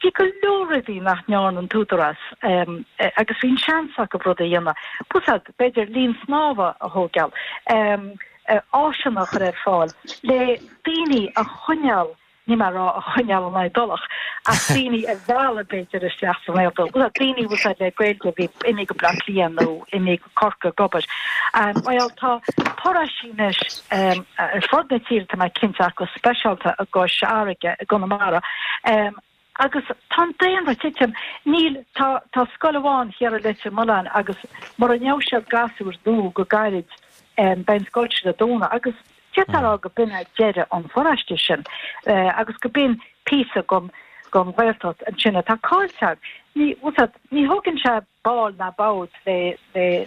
Bhí go leor rudaí nach ndearna an tÚdarás agus bhí an seans acu rud a dhéanamh. Bhfuil 'fhios a'd, b'fhéidir linn snámha a thógáil, áiseanna a chur ar fáil le daoine a choinneáil, níl mé ag rá a choinneáil in aghaidh Tulach, ach daoine a mhealladh b'fhéidir isteach sa nGaeltacht. Bhfuil 'fhios a'd, daoine bhfuil 'fhios a'd le Gaeilge a bhí imithe go Bleá Cliath nó imithe go Corcaigh ag obair. Bhuel, tá paróistí anois ar fud na tíre, tá mé cinnte, ach go speisialta i gCois Fharraige, i gConamara, agus tá an daonra ag titim. Níl, tá, tá scoil amháin thiar i Leitir Mealláin agus mura ngeobhaidh siad gasúir nua go gairid, beidh an scoil sin ag dúnadh agus d'fhéadfá a rá go b'in é deireadh an pharóiste sin agus go b'in píosa den, den Ghaeltacht ansin atá caillte againn. Ní, bhfuil 'fhios a'd, ní thógann sé ball ná bord le le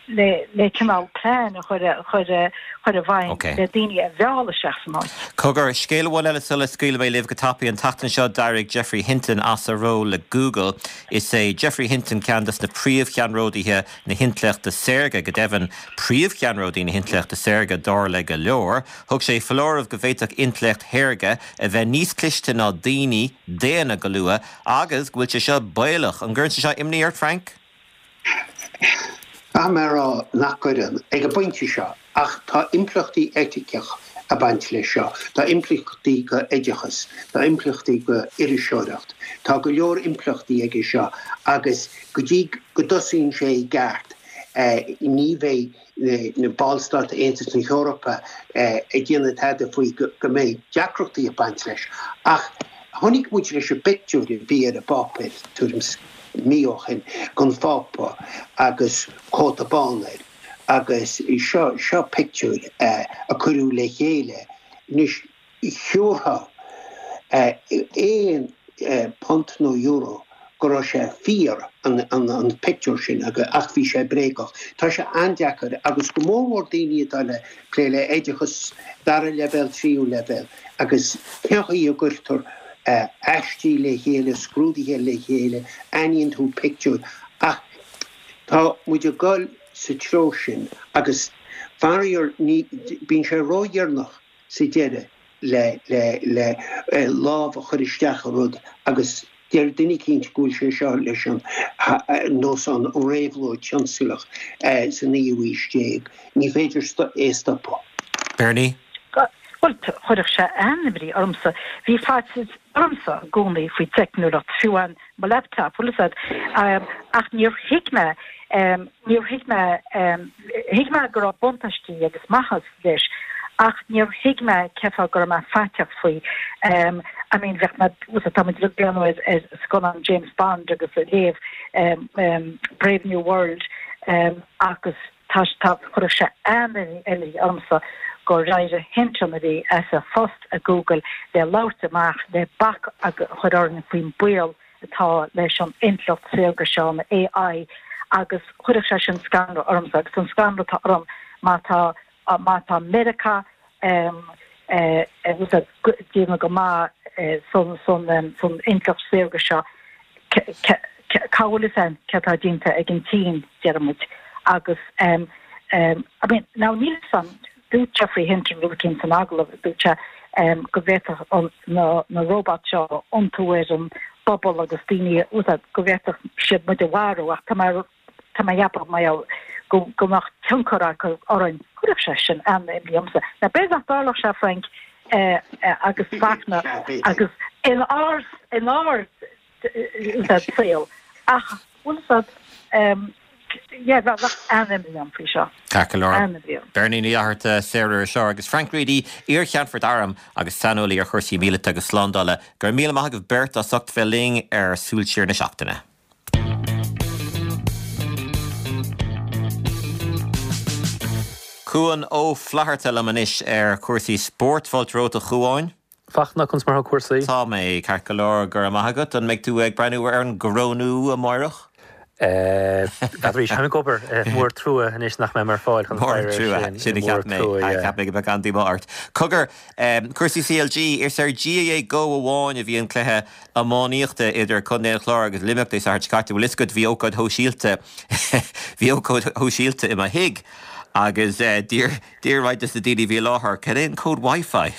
le le cineál plean a chur a chur a chur i bhfeidhm Ok. le daoine a mhealladh isteach san áit. Cogar, scéal amháin eile sula scaoilfidh mé libh go tapaidh. An tseachtain seo d'éirigh Geoffrey Hinton as a ról le Google. Is é Geoffrey Hinton ceann des na príomhcheannródaithe na hintleachta saorga, go deimhin príomhcheannródaí na hintleachta saorga dar le go leor. Thug sé foláireamh go bhféadfadh intleacht shaorga a bheith níos cliste ná daoine daonna go luath Agus go bhfuil sé seo baolach. An gcuireann sé seo imní ort, Frank? Caithfidh mé a rá nach gcuireann, ag an bpointe seo, ach tá impleachtaí eiticeach ag baint leis seo, tá impleachtaí go oideachas, tá impleachtaí go iriseoireacht, tá go leor impleachtaí aige seo agus go dtí go dtosaíonn sé i gceart ní bheidh na ballstáit Aontas na hEorpa ag déanamh tada faoi go mbeidh deacrachtaí ag baint leis. Ach chonaic muid leis an bpictiúr a bhí ar an bpáipéar tuairim is mí ó shin den Phápa agus cóta bán air agus seo seo pictiúr a cuireadh le chéile anois Thiúrfá aon phunt nó euro go raibh sé fíor, an pictiúr sin, ach bhí sé bréagach. Tá sé an-deacair, agus go mór mhór daoine atá le plé le oideachas dara leibhéal, tríú leibhéal, agus cén chaoi a gcuirtear aistí le chéile, scrúduithe le chéile, aithníonn tú pictiúr, ach tá muid ag dul sa treo sin agus faraor ní, bíonn sé ródheireanach. sa deireadh le le le lámh a chur isteach i rud agus deir duine eicínt go bhfuil sé seo leis an nós an réabhlóid tionsclach sa naoú aois déag. Ní féidir é a stopadh. Bernie? Bhuel, chuirfeadh sé an-imní ormsa. Bhí faitíos ormsa i gcónaí faoi teicneolaíocht, fiú amháin mo laptop, bhfuil 'fhios a'd, ach níor thuig mé, níor thuig mé, thuig mé go raibh buntáistí agus maitheas leis ach níor thuig mé cén fáth go raibh mé faiteach faoi. I mean bheadh mé, bhfuil 'fhios a'd, tá muid ag breathnú ar ar scannán James Bond agus ag léamh Brave New World agus tá tá chuirfeadh sé an-imní ormsa gur éirigh Hinton a bhí as a phost ag Google le labhairt amach le bac a chur orainn faoin baol atá leis an intleacht saorga seo, an AI, agus chuirfeadh sé sin scanradh ormsa agus an scanradh atá orm má tá má tá Meiriceá ag déanamh go maith san san san intleacht saorga seo cá bhfuil fhios againn céard atá déanta ag an tSín, deir muid agus I mean now níl fhios agam Dúirt Geoffrey Hinton rud eicínt san agallamh, dúirt sé go bhféadfadh na robots seo iontú ar an bpobal agus daoine a úsáid, go bhféadfadh siad muid a mharú ach tá mé tá mé ag ceapadh mar gheall go go mbeadh tionchar acu orainn. Chuirfeadh sé sin an-imní ormsa. Now b'fhéidir nach dtarlódh sé, Frank. Agus Fachtna agus in ár in ár saol ach bhfuil fhios a'd yeah bheadh an-imní orm faoi seo. Ceart go leor. Beirní Ní Fhlatharta, saoririseoir, agus Frank Reidy, iar-Cheannfort Airm agus saineolaí ar chúrsaí míleata agus slándála. Go raibh míle maith agaibh beirt as ucht bheith linn ar Súil Siar na Seachtaine. Cuan Ó Flatharta liom anois ar chúrsaí spóirt. Fáilte romhat a Chuáin. Fachtna, conas mar thá cúrsaí? Tá mé ceart go leor, go raibh maith agat. An mbeidh tú ag breathnú ar an gcorónú amáireach? N'fheadar arís, táim ag obair. Mór trua anois nach mbeidh mé ar fáil chun faire air sin. Sin a cheap mé. Cheap mé go mbeadh an-díomá ort. Cogar, cúrsaí CLG, is ar GAA Go amháin a bhí an cluiche iománaíochta idir Contae an Chláir agus Luimneach Dé Sathairn seo caite. Bhfuil fhios agat, bhí ócáid shóisialta, bhí ócáid shóisialta i mo thigh agus d'iarr, d'iarr roinnt de na daoine a bhí i láthair, cad é an cód Wi-Fi?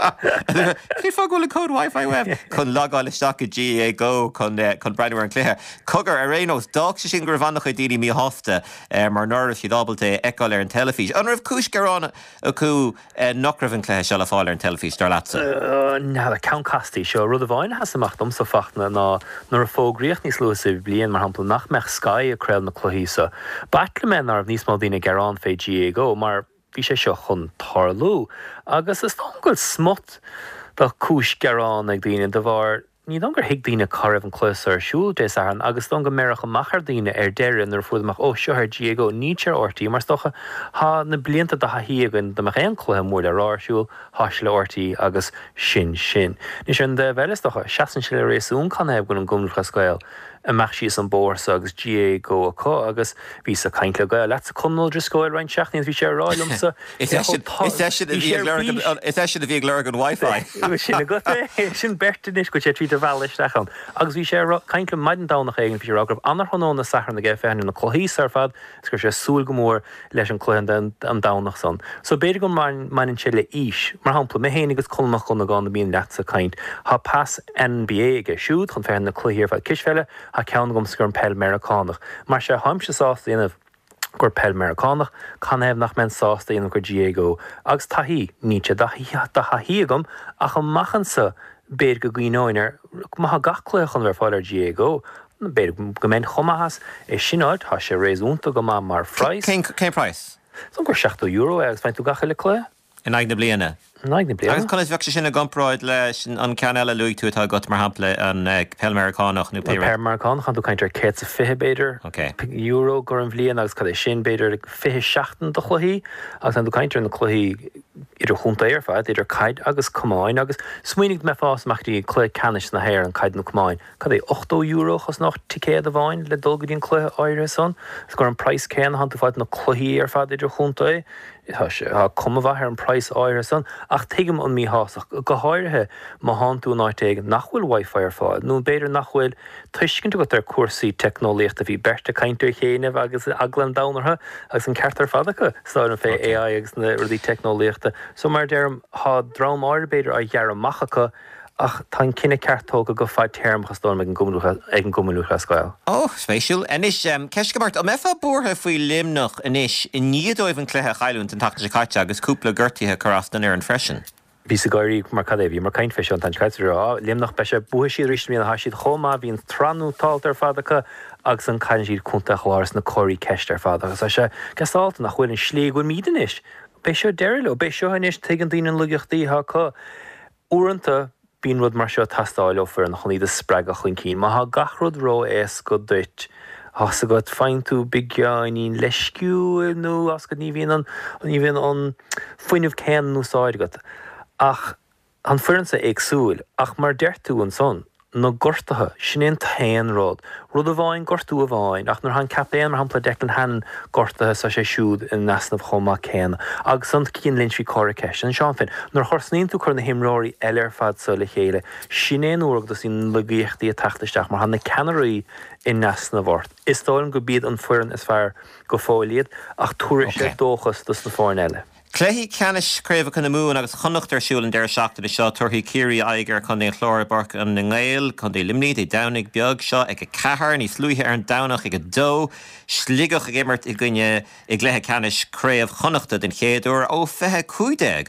Cén fáth go bhfuil an cód Wi-Fi uaibh? Chun logáil isteach i GAA Go chun, chun breathnú ar an chluiche. Cogar, ar aon nós, d'fhág sé sin go raibh an-chuid daoine míshásta mar ná raibh siad ábalta é a fheiceáil ar an teilifís. An raibh cúis gearáin acu nach raibh an cluiche seo le fáil ar an teilifís, dar leatsa? N'fheadar, ceann casta í seo. Rud amháin a sheas amach domsa, Fachtna, ná nuair a fógraíodh níos luaithe sa bhliain, mar shampla, nach mbeadh Sky ag craoladh na cluichí so, b'ait liom é ná raibh níos mó daoine ag gearán fé GAA Go, mar bhí sé seo chun tarlú. Agus is dóigh liom go bhfuil smut de chúis gearán ag daoine de bharr, Ní dóigh liom gur thuig daoine cá raibh an cluiche so ar siúl Dé Sathairn agus is dóigh liom go mbeireadh amach ar daoine ar deireadh nuair a fuaireadar amach, ó, seo ar GAA Go, níl sé ar RTÉ mar is dócha thá na blianta de thaithí againn dá mbeadh aon cluiche mór le rá ar siúl, thá sé le RTÉ agus sin sin. Anois ar an dtaobh eile is dócha, seasann sé le réasún canathaobh go bhfuil an Cumann Lúthchleas Gael imeacht síos an bóthar so agus GAA Go acu agus bhíos ag caint le gaol leatsa Conán Ó Drisceoil roinnt seachtainí agus bhí sé ag rá liomsa Is eisean is eisean a bhí ag lorg an is eisean a bhí ag lorg an Wi-Fi. Sin agat é, sin beirt anois go bhfuil sé tríd a mhealladh isteach ann. Agus bhí sé ag rá, caint liom maidin Domhnach éigin, bhí sé ag rá go raibh ana-thráthnóna Sathairn aige féachaint ar na cluichí so ar fad agus go raibh sé ag súil go mór leis an cluiche an Domhnach san. So b'fhéidir go mbaineann sé le aois. Mar shampla, mé féin agus Conall Mac Dhonnagáin a bíonn leatsa ag caint, tá pas NBA aige siúd chun féachaint na cluichí ar fad cispheile, tá ceann agamsa gur an peil Meiriceánach. Mar sea, tháimse sásta a dhéanamh gur peil Meiriceánach, canathaobh nach mbeinn sásta a dhéanamh gur GAA Go? Agus taithí, níl sé de thaithí agam ach amach anso b'fhéidir go gcuimhneoinn air, má thá gach cluiche chun bheith ar fáil ar GAA Go, B'fhéidir go mbeinn chomh maith as é sin a fháilt, tá sé réasúnta go maith mar phraghas. Cén praghas? Is dóigh gur €70 é agus faigheann tú gach uile cluiche. In aghaidh na bliana? In aghaidh na bliana. Agus conas bheadh sé sin i gcomparáid leis an ceann eile a luaigh tú atá agat, mar shampla an peil Meiriceánach nó pé rud? An peil Meiriceánach, tá tú ag caint ar 120 b'fhéidir, euro gur an bhliain agus cad é sin, b'fhéidir 20 seachtain de chluichí agus tá tú ag caint ar na cluichí idirchontae ar fad, idir caid agus camáin agus smaoinigh dá mbeifeá ag amach go dtí cluiche ceannais na hÉireann, caid nó camáin. Cad é, €80 a chosnódh ticéad amháin le dul go dtí an cluiche áirithe san? Is gur an praghas céanna thánn tú ag fáilt na cluichí ar fad idirchontae. Tá sé, tá cuma mhaith ar an praghas áirithe san, ach tuigim an míshástacht, go háirithe má thánn tú in áit éigin nach bhfuil Wi-Fi ar fáil, nó b'fhéidir nach bhfuil tuiscint agat ar cúrsaí teicneolaíochta. Bhí beirt ag caint ar chianaibh agus eagla an domhain orthu, agus an ceart ar fad acu, is dóigh liom, fé AI agus na rudaí teicneolaíochta. So, mar a deirim, thá dream áirithe b'fhéidir á ghearradh amach acu, Ach tá an cinneadh ceart tógtha go fadtéarmach is dóigh liom ag an gCumann Lúthchleas Gael. Ó, spéisiúil. Anois, ceist agam ort, an mbeifeá buartha faoi Luimneach anois i ndiaidh dóibh an cluiche a chailliúint an tseachtain seo caite agus cúpla gortuithe a chur as don fhoireann freisin? Bhíos ag gáirí mar cad é, bhíomar ag caint fé seo an tseachtain seo caite, á, Luimneach, beidh sé, buafaidh siad arís i mbliana, tá siad chomh maith, bhí an tsraith nótálta ar fad acu agus ansan cailleann siad Contae an Chláir sna comharthaí ceiste ar fad agus tá sé gasálta nach bhfuil an slí go bhfuilimid anois, beidh seo deireadh leo, beidh seo anois, tuigeann daoine na laigeachtaí atá acu. Uaireanta, bíonn rud mar seo ag teastáil ó foireann chun iad a spreagadh chun cinn. Má thá gach rud ró-éasca duit, tá's agat, faigheann tú beagáinín leisciúil nó tá's agat, ní bhíonn an, ní bhíonn an fuinneamh céanna in úsáid agat. Ach tá an foireann seo éagsúil. Ach mar a deir tú ansan, na gortuithe, sin é an t-aon rud. Rud amháin, gortú amháin, ach nuair atá an captaen, mar shampla Declan Hannon, gortaithe, tá sé siúd in easnamh chomh maith céanna. Agus an Cian Lynch, bhí comhartha ceiste ann, Seán Finn. Nuair a thosnaíonn tú ag cur na himreoirí eile ar fad so le chéile, sin é an uair go dtosaíonn na laigeachtaí ag teacht isteach mar tá na ceannairí in easnamh ort. Is dóigh liom go b'iad an foireann is fearr go fóill iad, ach tabharfaidh sé dóchas dos na foirne eile. Cluichí ceannais Chraobhacha na Mumhan agus Chonnacht ar siúl an deireadh seachtaine seo. Tabharfaidh Ciarraí aghaidh ar Chontae an Chláir i bPáirc na nGael, Contae Luimnigh, Dé Domhnaigh beag seo ag 4. Níos luaithe ar an Domhnach ag 2, Sligeach ag imirt i gcoinne i gcluiche ceannais Craobh Chonnachta den chéad uair ó 2015.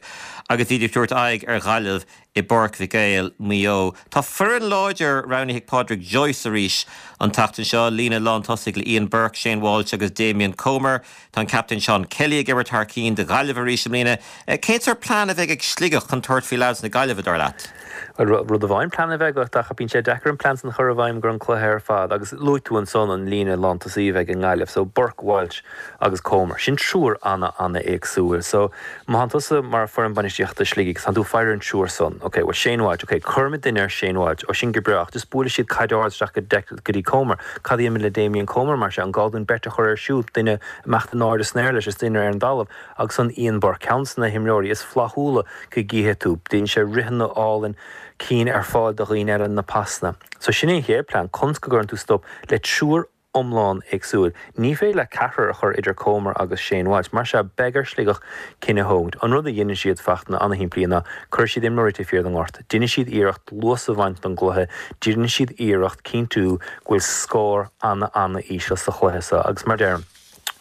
agus iad ag tabhairt aghaidh ar Ghaillimh i bPáirc Mhic Éil, Maigh Eo. Tá foireann láidir roghnaithe ag Pádraic Joyce arís an tseachtain seo, líne lántosaigh le Ian Burke, Shane Walsh agus Damien Comer. Tá an captaen Seán Kelly ag imirt thar cinn do Ghaillimh arís i mbliana. Cén sórt plean a bheidh ag Sligeach chun tabhairt faoi leaids na Gaillimhe, dar leat? Bhuel, rud amháin plean a bheith agat ach bíonn sé deacair an plean san a chur i bhfeidhm gur an cluiche ar fad agus luaigh tú ansan an líne lántosaí a bheidh i nGaillimh so Burke, Walsh agus Comer. Sin triúr ana-ana-éagsúil so má thánn tusa mar foireann bainistíochta Shligigh tánn tú ag faire an triúr san. Ok, bhuel Shane Walsh, ok, cuirfimid duine ar Shane Walsh, ó sin go breá ach just buailfidh siad caid ard isteach go go dtí Comer. Cad a dhéanfaimid le Damien Comer mar sin? An gá dúinn beirt a chur air siúd, duine imeacht in airde san aer leis is duine ar an dtalamh agus ansan Ian Burke, ceann de na himreoirí is flaithiúla go gcífidh tú. Déanann sé ritheanna álainn, cinn ar fáil do dhaoine eile na pasanna. So sin é an chéad plean, conas go gcuireann tú stop le triúr iomlán éagsúil. Ní féidir leat ceathrar a chur idir Comer agus Shane Walsh. Mar sea, beidh ar Shligeach cinneadh a thógaint. An rud a dheineann siad, Fachtna, ana-shimplí ná cuirfidh siad imreoirí taobh thiar den ngort. Déanfaidh siad iarracht luas a bhaint den gcluiche, déanfaidh siad iarracht cinntiú go bhfuil scór ana-ana-íseal sa chluiche seo agus mar deirim,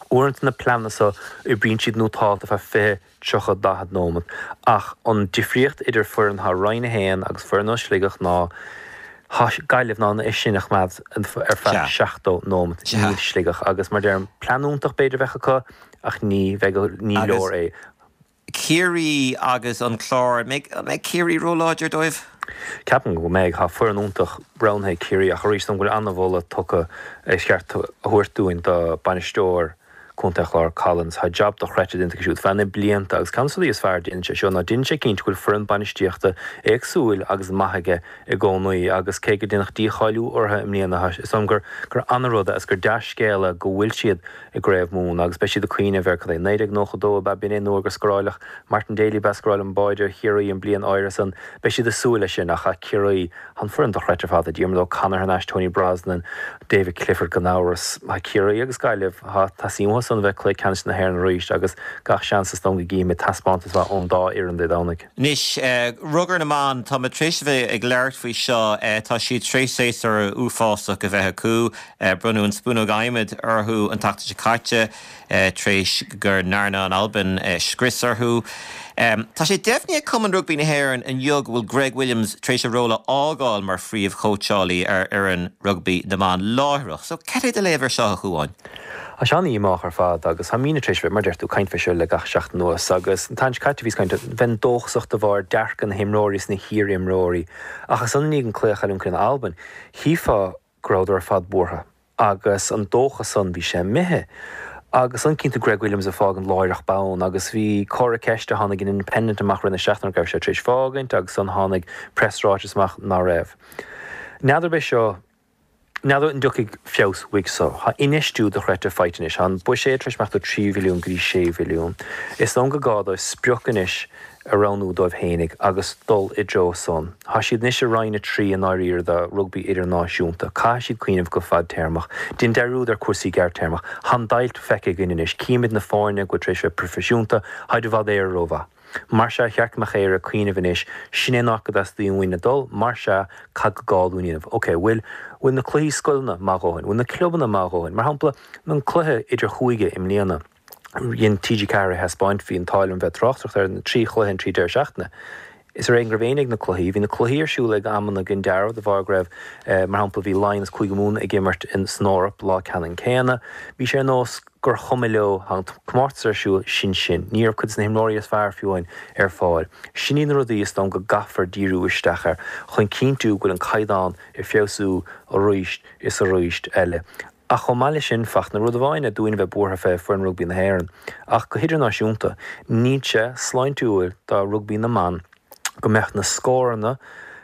uaireanta na pleananna seo oibríonn siad nótálta feadh 20, 30, 40 nóimeat. Ach an difríocht idir foireann atá i Roinn 1 agus foireann ó Sligeach ná tá Gaillimh in ann é sin a choimeád ar feadh 70 nóimeat, níl Sligeach. Agus mar deirim, plean iontach b'fhéidir a bheadh acu ach ní bheidh, ní leor é. Ciarraí agus an Clár, an mbeidh Ciarraí róláidir dóibh? Ceapaim go mbeidh. Tá foireann iontach roghnaithe ag Ciarraí ach arís dóigh liom go bhfuil an-mholadh tugtha, is ceart a thabhairt dúinn do bainisteoir Contae an Chláir, Collins. Tá jab dochreidte déanta aige siúd feadh na blianta agus ceann de na rudaí is fearr a déanann sé seo ná déanann sé cinnte go bhfuil foireann bainistíochta éagsúil agus maith aige i gcónaí agus cé go déanadh dícháiliú orthu i mbliana is dóigh liom gur gur an-rud é agus gur dea-scéala go bhfuil siad i gCraobh Mumhan agus beidh siad ag cuimhneamh ar cad é 1992 ab ea b'in é an uair gur scóráileadh Martin Daly ab ea scóráil an báide ar Chiarraí an bliain áirithe san beidh siad ag súil leis sin ach Ciarraí An foireann dochreidte ar fad, Diarmuid O'Connor thar n-ais, Tony Brosnan, David Clifford gan amhras. Tá Ciarraí agus Gaillimh, tá suim acu san a bheith cluiche ceannais na hÉireann arís agus gach seans is dóigh liom go gcífimid taispeántas maith ón dá fhoireann Dé Domhnaigh. Anois, rugar na mban, tá muid tar éis a bheith ag labhairt faoi seo, tá siad tar éis séasúr uafásach a bheith acu. Bronnadh an spúnóg adhmaid orthu an tseachtain seo caite. tar éis go ndearna an Albain scrios orthu. Tá sé deimhnithe ag Cumann Rugbaí na hÉireann inniu go bhfuil Greg Williams tar éis a ról a fhágáil mar phríomh-chóitseálaí ar fhoireann rugbaí na mban láithreach. So, cad é do léamh ar seo, a Chuáin? Tá sé an-dhíomách ar fad agus tá muidne tar éis bheith, mar a deir tú, ag caint fé seo le gach seachtain anuas agus an tseachtain seo caite bhíos ag caint, bheinn dóchasach de bharr dearcadh na himreoirí is na hiar-imreoirí ach ansan i ndiaidh an cluiche a chailliúint in Albain, chífeá go rabhadar ar fad buartha agus an dóchas san, bhí sé imithe. Agus ansan cíonn tú Greg Williams ag fágaint láithreach bonn agus bhí comhartha ceiste, tháinig an Independent amach rith na seachtaine go raibh sé tar éis fágaint agus ansan tháinig preasráiteas amach ná raibh. N'fheadar b'é seo, n'fheadar an dtiocfaidh feabhas uaidh so. Tá infheistiú dochreidte faighte anois. Tá an buiséad tar éis imeacht ó 3 mhilliún go dtí 6 mhilliún. Is dóigh liom go gá dóibh sprioc anois a roghnú dóibh fhéinig agus dul i dtreo san. Tá siad anois i Roinn 3 i ndáiríre de rugbaí idirnáisiúnta. Caithfidh siad cuimhneamh go fadtéarmach. Déan dearúd ar cúrsaí gearrtéarmach. Tá an deighilt feicthe againn anois. Címid na foirne go bhfuil tar éis bheith proifisiúnta, táid i bhfad Éire rómhaith. Mar sea, cheart go mbeadh Éire ag cuimhneamh anois, sin é an áit go dteastaíonn uainn a dul, mar sea, cad go gá dúinn a dhéanamh? Ok, bhfuil, bhfuil na cluichí scoileanna maith a dhóthain? Bhfuil na clubanna maith a dhóthain? Mar shampla, an cluiche idir chúige i mbliana. Dhein TG4 é a thaispeáint, bhí an t-ádh liom bheith ag tráchtaireacht ar na trí chluiche an trí deireadh seachtaine. Is ar éigean go raibh éinne ag na cluichí. Bhí na cluichí ar siúl ag amanna den dealramh de bharr go raibh, mar shampla, bhí Laighin is Cúige Mumhan ag imirt san Eoraip lá ceannann céanna. Bhí sé ar nós gur chuma leo, tá an comórtas ar siúl, sin sin. Ní raibh cuid de na himreoirí is fearr fiú amháin ar fáil. Sin iad na rudaí is dóigh liom go gcaithfear díriú isteach air chun cinntiú go bhfuil an caighdeán ag feabhsú arís is arís eile. Ach chomh maith leis sin, Fachtna, rud amháin é dúinn a bheith buartha fé foireann rugbaí na hÉireann, ach go hidirnáisiúnta, níl sé sláintiúil do rugbaí na mban go mbeadh na scóranna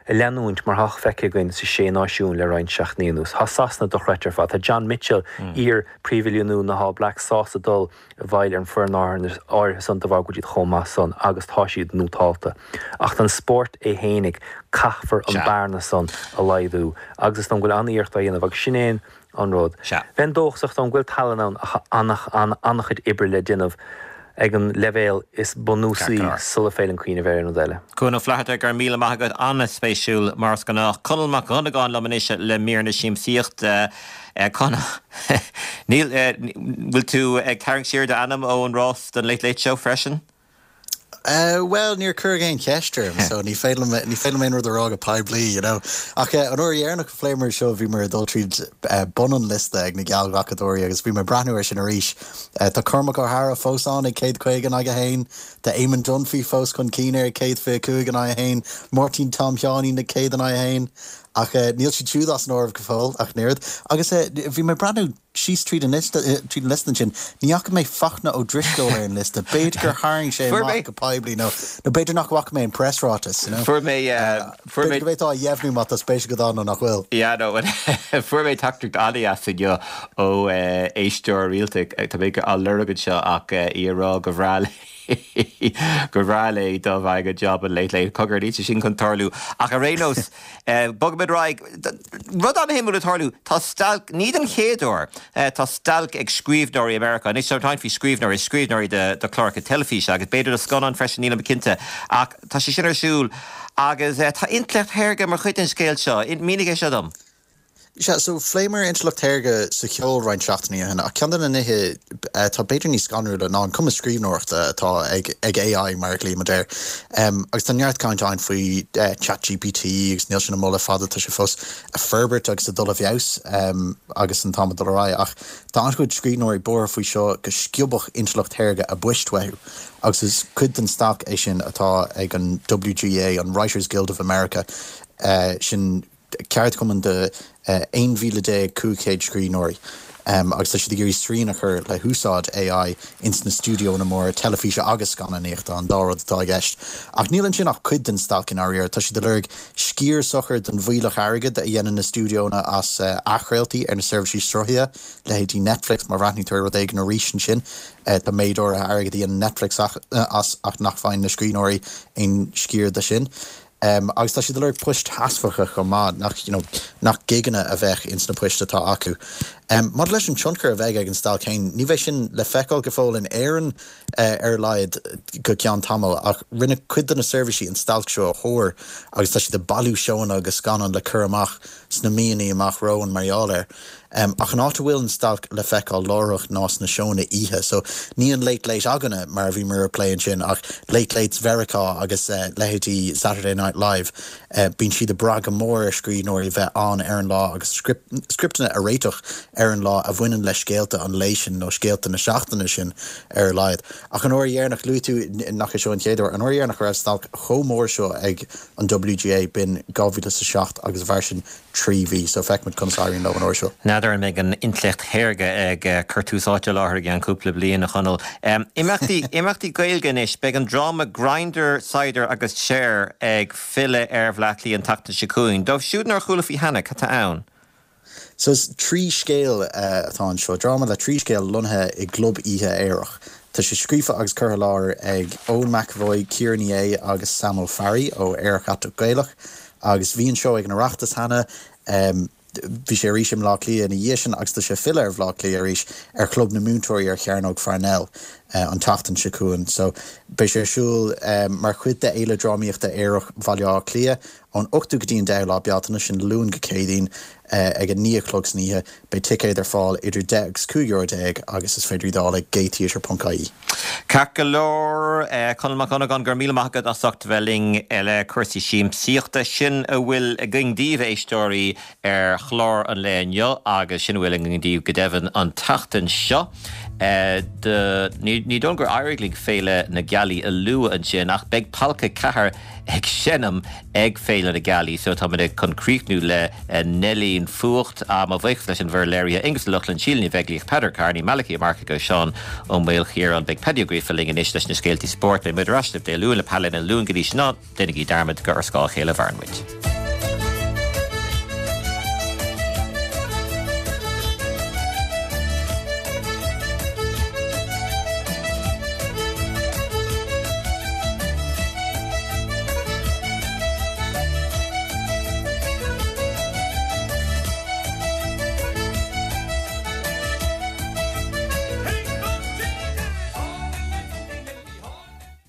ag leanúint mar atá feicthe againn sa Sé Náisiún le roinnt seachtainí anuas. Tá Sasana dochreidte ar fad. Tá John Mitchell, iar-phríomhoiliúnaí na hAll Blacks, sásta dul i bhfeighil ar an foireann áirithe san de bharr go bhfuil siad chomh maith san agus tá siad nótálta. Ach don spórt é fhéinig, caithfear an bearna san a laghdú agus is dóigh liom go bhfuil an-iarracht á dhéanamh agus sin é an rud. Bheinn dóchasach dóigh liom go bhfuil tallann ann ach tá an-chuid oibre le déanamh ag an leibhéal is bunúsaí sula féidir linn cuimhneamh ar aon rud eile. Cuan Ó Flatharta, go raibh míle maith agat. An-spéisiúil mar is gnách. Conall Mac Dhonnagáin liom anois le mír na siamsaíochta. Conall, níl, bhfuil tú ag tarraingt siar d'ainm ón rás don Late Late Show freisin? Bhuel, níor cuireadh aon cheist orm, so ní féidir liom, ní féidir liom aon rud a rá go poiblí, you know. Ach an uair dheireanach a phléamar seo, bhíomar ag dul tríd bun an liosta ag na geallghlacadóirí agus bhí mé ag breathnú air sin arís. Tá Cormac Ó hEadhra fós ann ag 150 in aghaidh a haon, tá Eamon Dunphy fós chun cinn air ag 125 in aghaidh a haon, Máirtín Tom Sheáinín ag 100 in aghaidh a haon. Ach níl siad siúd as an áireamh go fóill ach an oiread. Agus bhí mé ag breathnú. Síos tríd an liosta, tríd an liosta ansin, ní fhaca mé Fachtna Ó Drisceoil ar an liosta. B'fhéidir gur tharraing sé Fuair mé. amach go poiblí nó, nó b'fhéidir nach bhfaca mé an preasráiteas, you know. Fuair mé, fuair B'fhéidir mé. go bhféadfá a dheimhniú má tá spéis agat ann nó nach bhfuil. Yeah, no, fuair mé teachtaireacht an-dheas inniu ó éisteoir rialta, tá mé á lorg anseo ach í ag rá gur bhreá léi, gur bhreá léi dá bhfaigheadh job an Late Late. Cogar, níl sé sin chun tarlú. Ach ar aon nós, Bogfaimid ar aghaidh. Rud an-shuimiúil ag tarlú, tá stailc, ní den chéad uair, tá stailc ag scríbhneoirí i Meiriceá. Anois, tá caint faoi scríbhneoirí, scríbhneoirí do chláracha teilifíse agus b'fhéidir do scannáin freisin, nílim cinnte, ach tá sé sin ar siúl agus tá intleacht shaorga mar chuid den scéal seo. Mínigh é seo dom. Sea, so phléamar intleacht shaorga sa cheol roinnt seachtainí ó shin, ach ceann de na nithe atá b'fhéidir níos scanrúla ná an cumas scríbhneoireachta atá ag ag AI mar a ghlaoimid air. Agus tá neart caint ann faoi ChatGPT agus níl sin amuigh le fada, tá sé fós ag forbairt agus ag dul i bhfeabhas agus an t-am ag dul ar aghaidh. Ach tá an-chuid scríbhneoirí buartha faoi seo go sciobfadh intleacht shaorga a bpoist uathu. Agus is cuid den stailc é sin atá ag an WGA, an Writers Guild of America, sin ceardchumann de 11,500 scríbhneoirí agus tá siad ag iarraidh srian a chur le húsáid AI ins na stiúideónna móra teilifíse agus scannánaíochta, an dá rud atá i gceist. Ach níl ansin ach cuid den stailc i ndáiríre. Tá siad ag lorg sciar socair den bhfuílleach airgid a dhéanann na stiúideónna as athchraoltaí ar na seirbhísí sruthaithe, leithéidí Netflix, má bhreathnaíonn tú ar rud éigin arís ansin, tá méid áirithe airgid a dhéanann Netflix as ach nach bhfaigheann na scríbhneoirí aon sciar de sin. Agus tá siad ag lorg poist sheasmhacha chomh maith, nach, you know, nach gigeanna a bheadh ins na poist atá acu. Maidir leis an tionchar a bheidh ag an stailc féin, ní bheidh sin le feiceáil go fóill in Éirinn ar a laghad go ceann tamaill, ach rinne cuid de na seirbhísí an stailc seo a thuar agus tá siad ag bailiú seóanna agus scannán le cur amach sna míonna amach romhainn mar gheall air. Ach an áit a bhfuil an stailc le feiceáil láithreach ná sna seónna oíche. So ní an Late Late againne mar a bhíomar ag plé ansin ach Late Lates Mheiriceá agus leithéidí Saturday Night Live. Bíonn siad ag brath go mór ar scríbhneoirí bheith ann ar an lá agus scripteanna a réiteach ar an lá a bhaineann le scéalta an lae sin nó scéalta na seachtaine sin ar a laghad. Ach an uair dheireanach, luaigh tú nach é seo an chéad uair, an uair dheireanach a raibh stailc chomh mór seo ag an WGA b'in 2007 agus mhair sin 3 mhí, so feicfimid conas a éiríonn leo an uair seo. N'fheadar an mbeidh an intleacht shaorga ag cur tús áite i láthair i gceann cúpla bliain, a Chonaill. Imeachtaí, imeachtaí Gaeilge anois. Beidh an dráma Grindr, Cider agus Cher ag filleadh ar Bhleá Cliath an tseachtain seo chugainn. Dóibh siúd nár chuala faoi cheana, cad tá ann? So is 3 scéal atá anseo, dráma le 3 scéal lonnaithe i gclub oíche aerach. Tá sé scríofa agus curtha i láthair ag Eoin McEvoy, Ciara Ní É agus Sam Ó Fearraigh ó Aerach Aiteach Gaelach. Agus bhí an seó ag an Oireachtas cheana, bhí sé arís i mBleá Cliath ina dhiaidh sin agus tá sé ag filleadh ar Bhleá Cliath arís ar Chlub na Múinteoirí ar Chearnóg Pharnell an tseachtain seo chugainn. So beidh sé ar siúl mar chuid de Fhéile Drámaíochta Aerach Bhaile Átha Cliath ón 8ú go dtí an 10ú lá Bealtaine, sin Luan go Céadaoin, ag a 9 a chlog san oíche. Beidh ticéid ar fáil idir 10 agus 15 euro agus is féidir iad a fháil ag gaytheatre.ie. Ceart go leor, Conall Mac Dhonnagáin, go raibh míle maith agat as ucht a bheith linn le cúrsaí siamsaíochta. Sin a bhfuil againn daoibh, a éisteoirí, ar chlár an lae inniu agus sin a bhfuil againn daoibh go deimhin an tseachtain seo. Ní dóigh liom gur éirigh linn Féile na Gealaí a lua ansin ach beidh Polca 4 ag seinm ag Féile na Gealaí so táimid chun críochnú le Neilín Fuacht. Mo bhuíochas leis an bhfoireann léirithe, Aonghus Ó Lochlainn, Síle Ní Bheaglaoich, Peadar Kearney, Malachy Ó Marcaigh agus Seán Ó Maoilchiaráin. Beidh Paddy Ó Gríofa linn anois leis na scéaltaí spóirt. Beidh muid ar ais libh Dé Luain le Pailéad na Luan go dtí sin ná déanaigí dearmad gur ar scáth a chéile a mhaireann muid.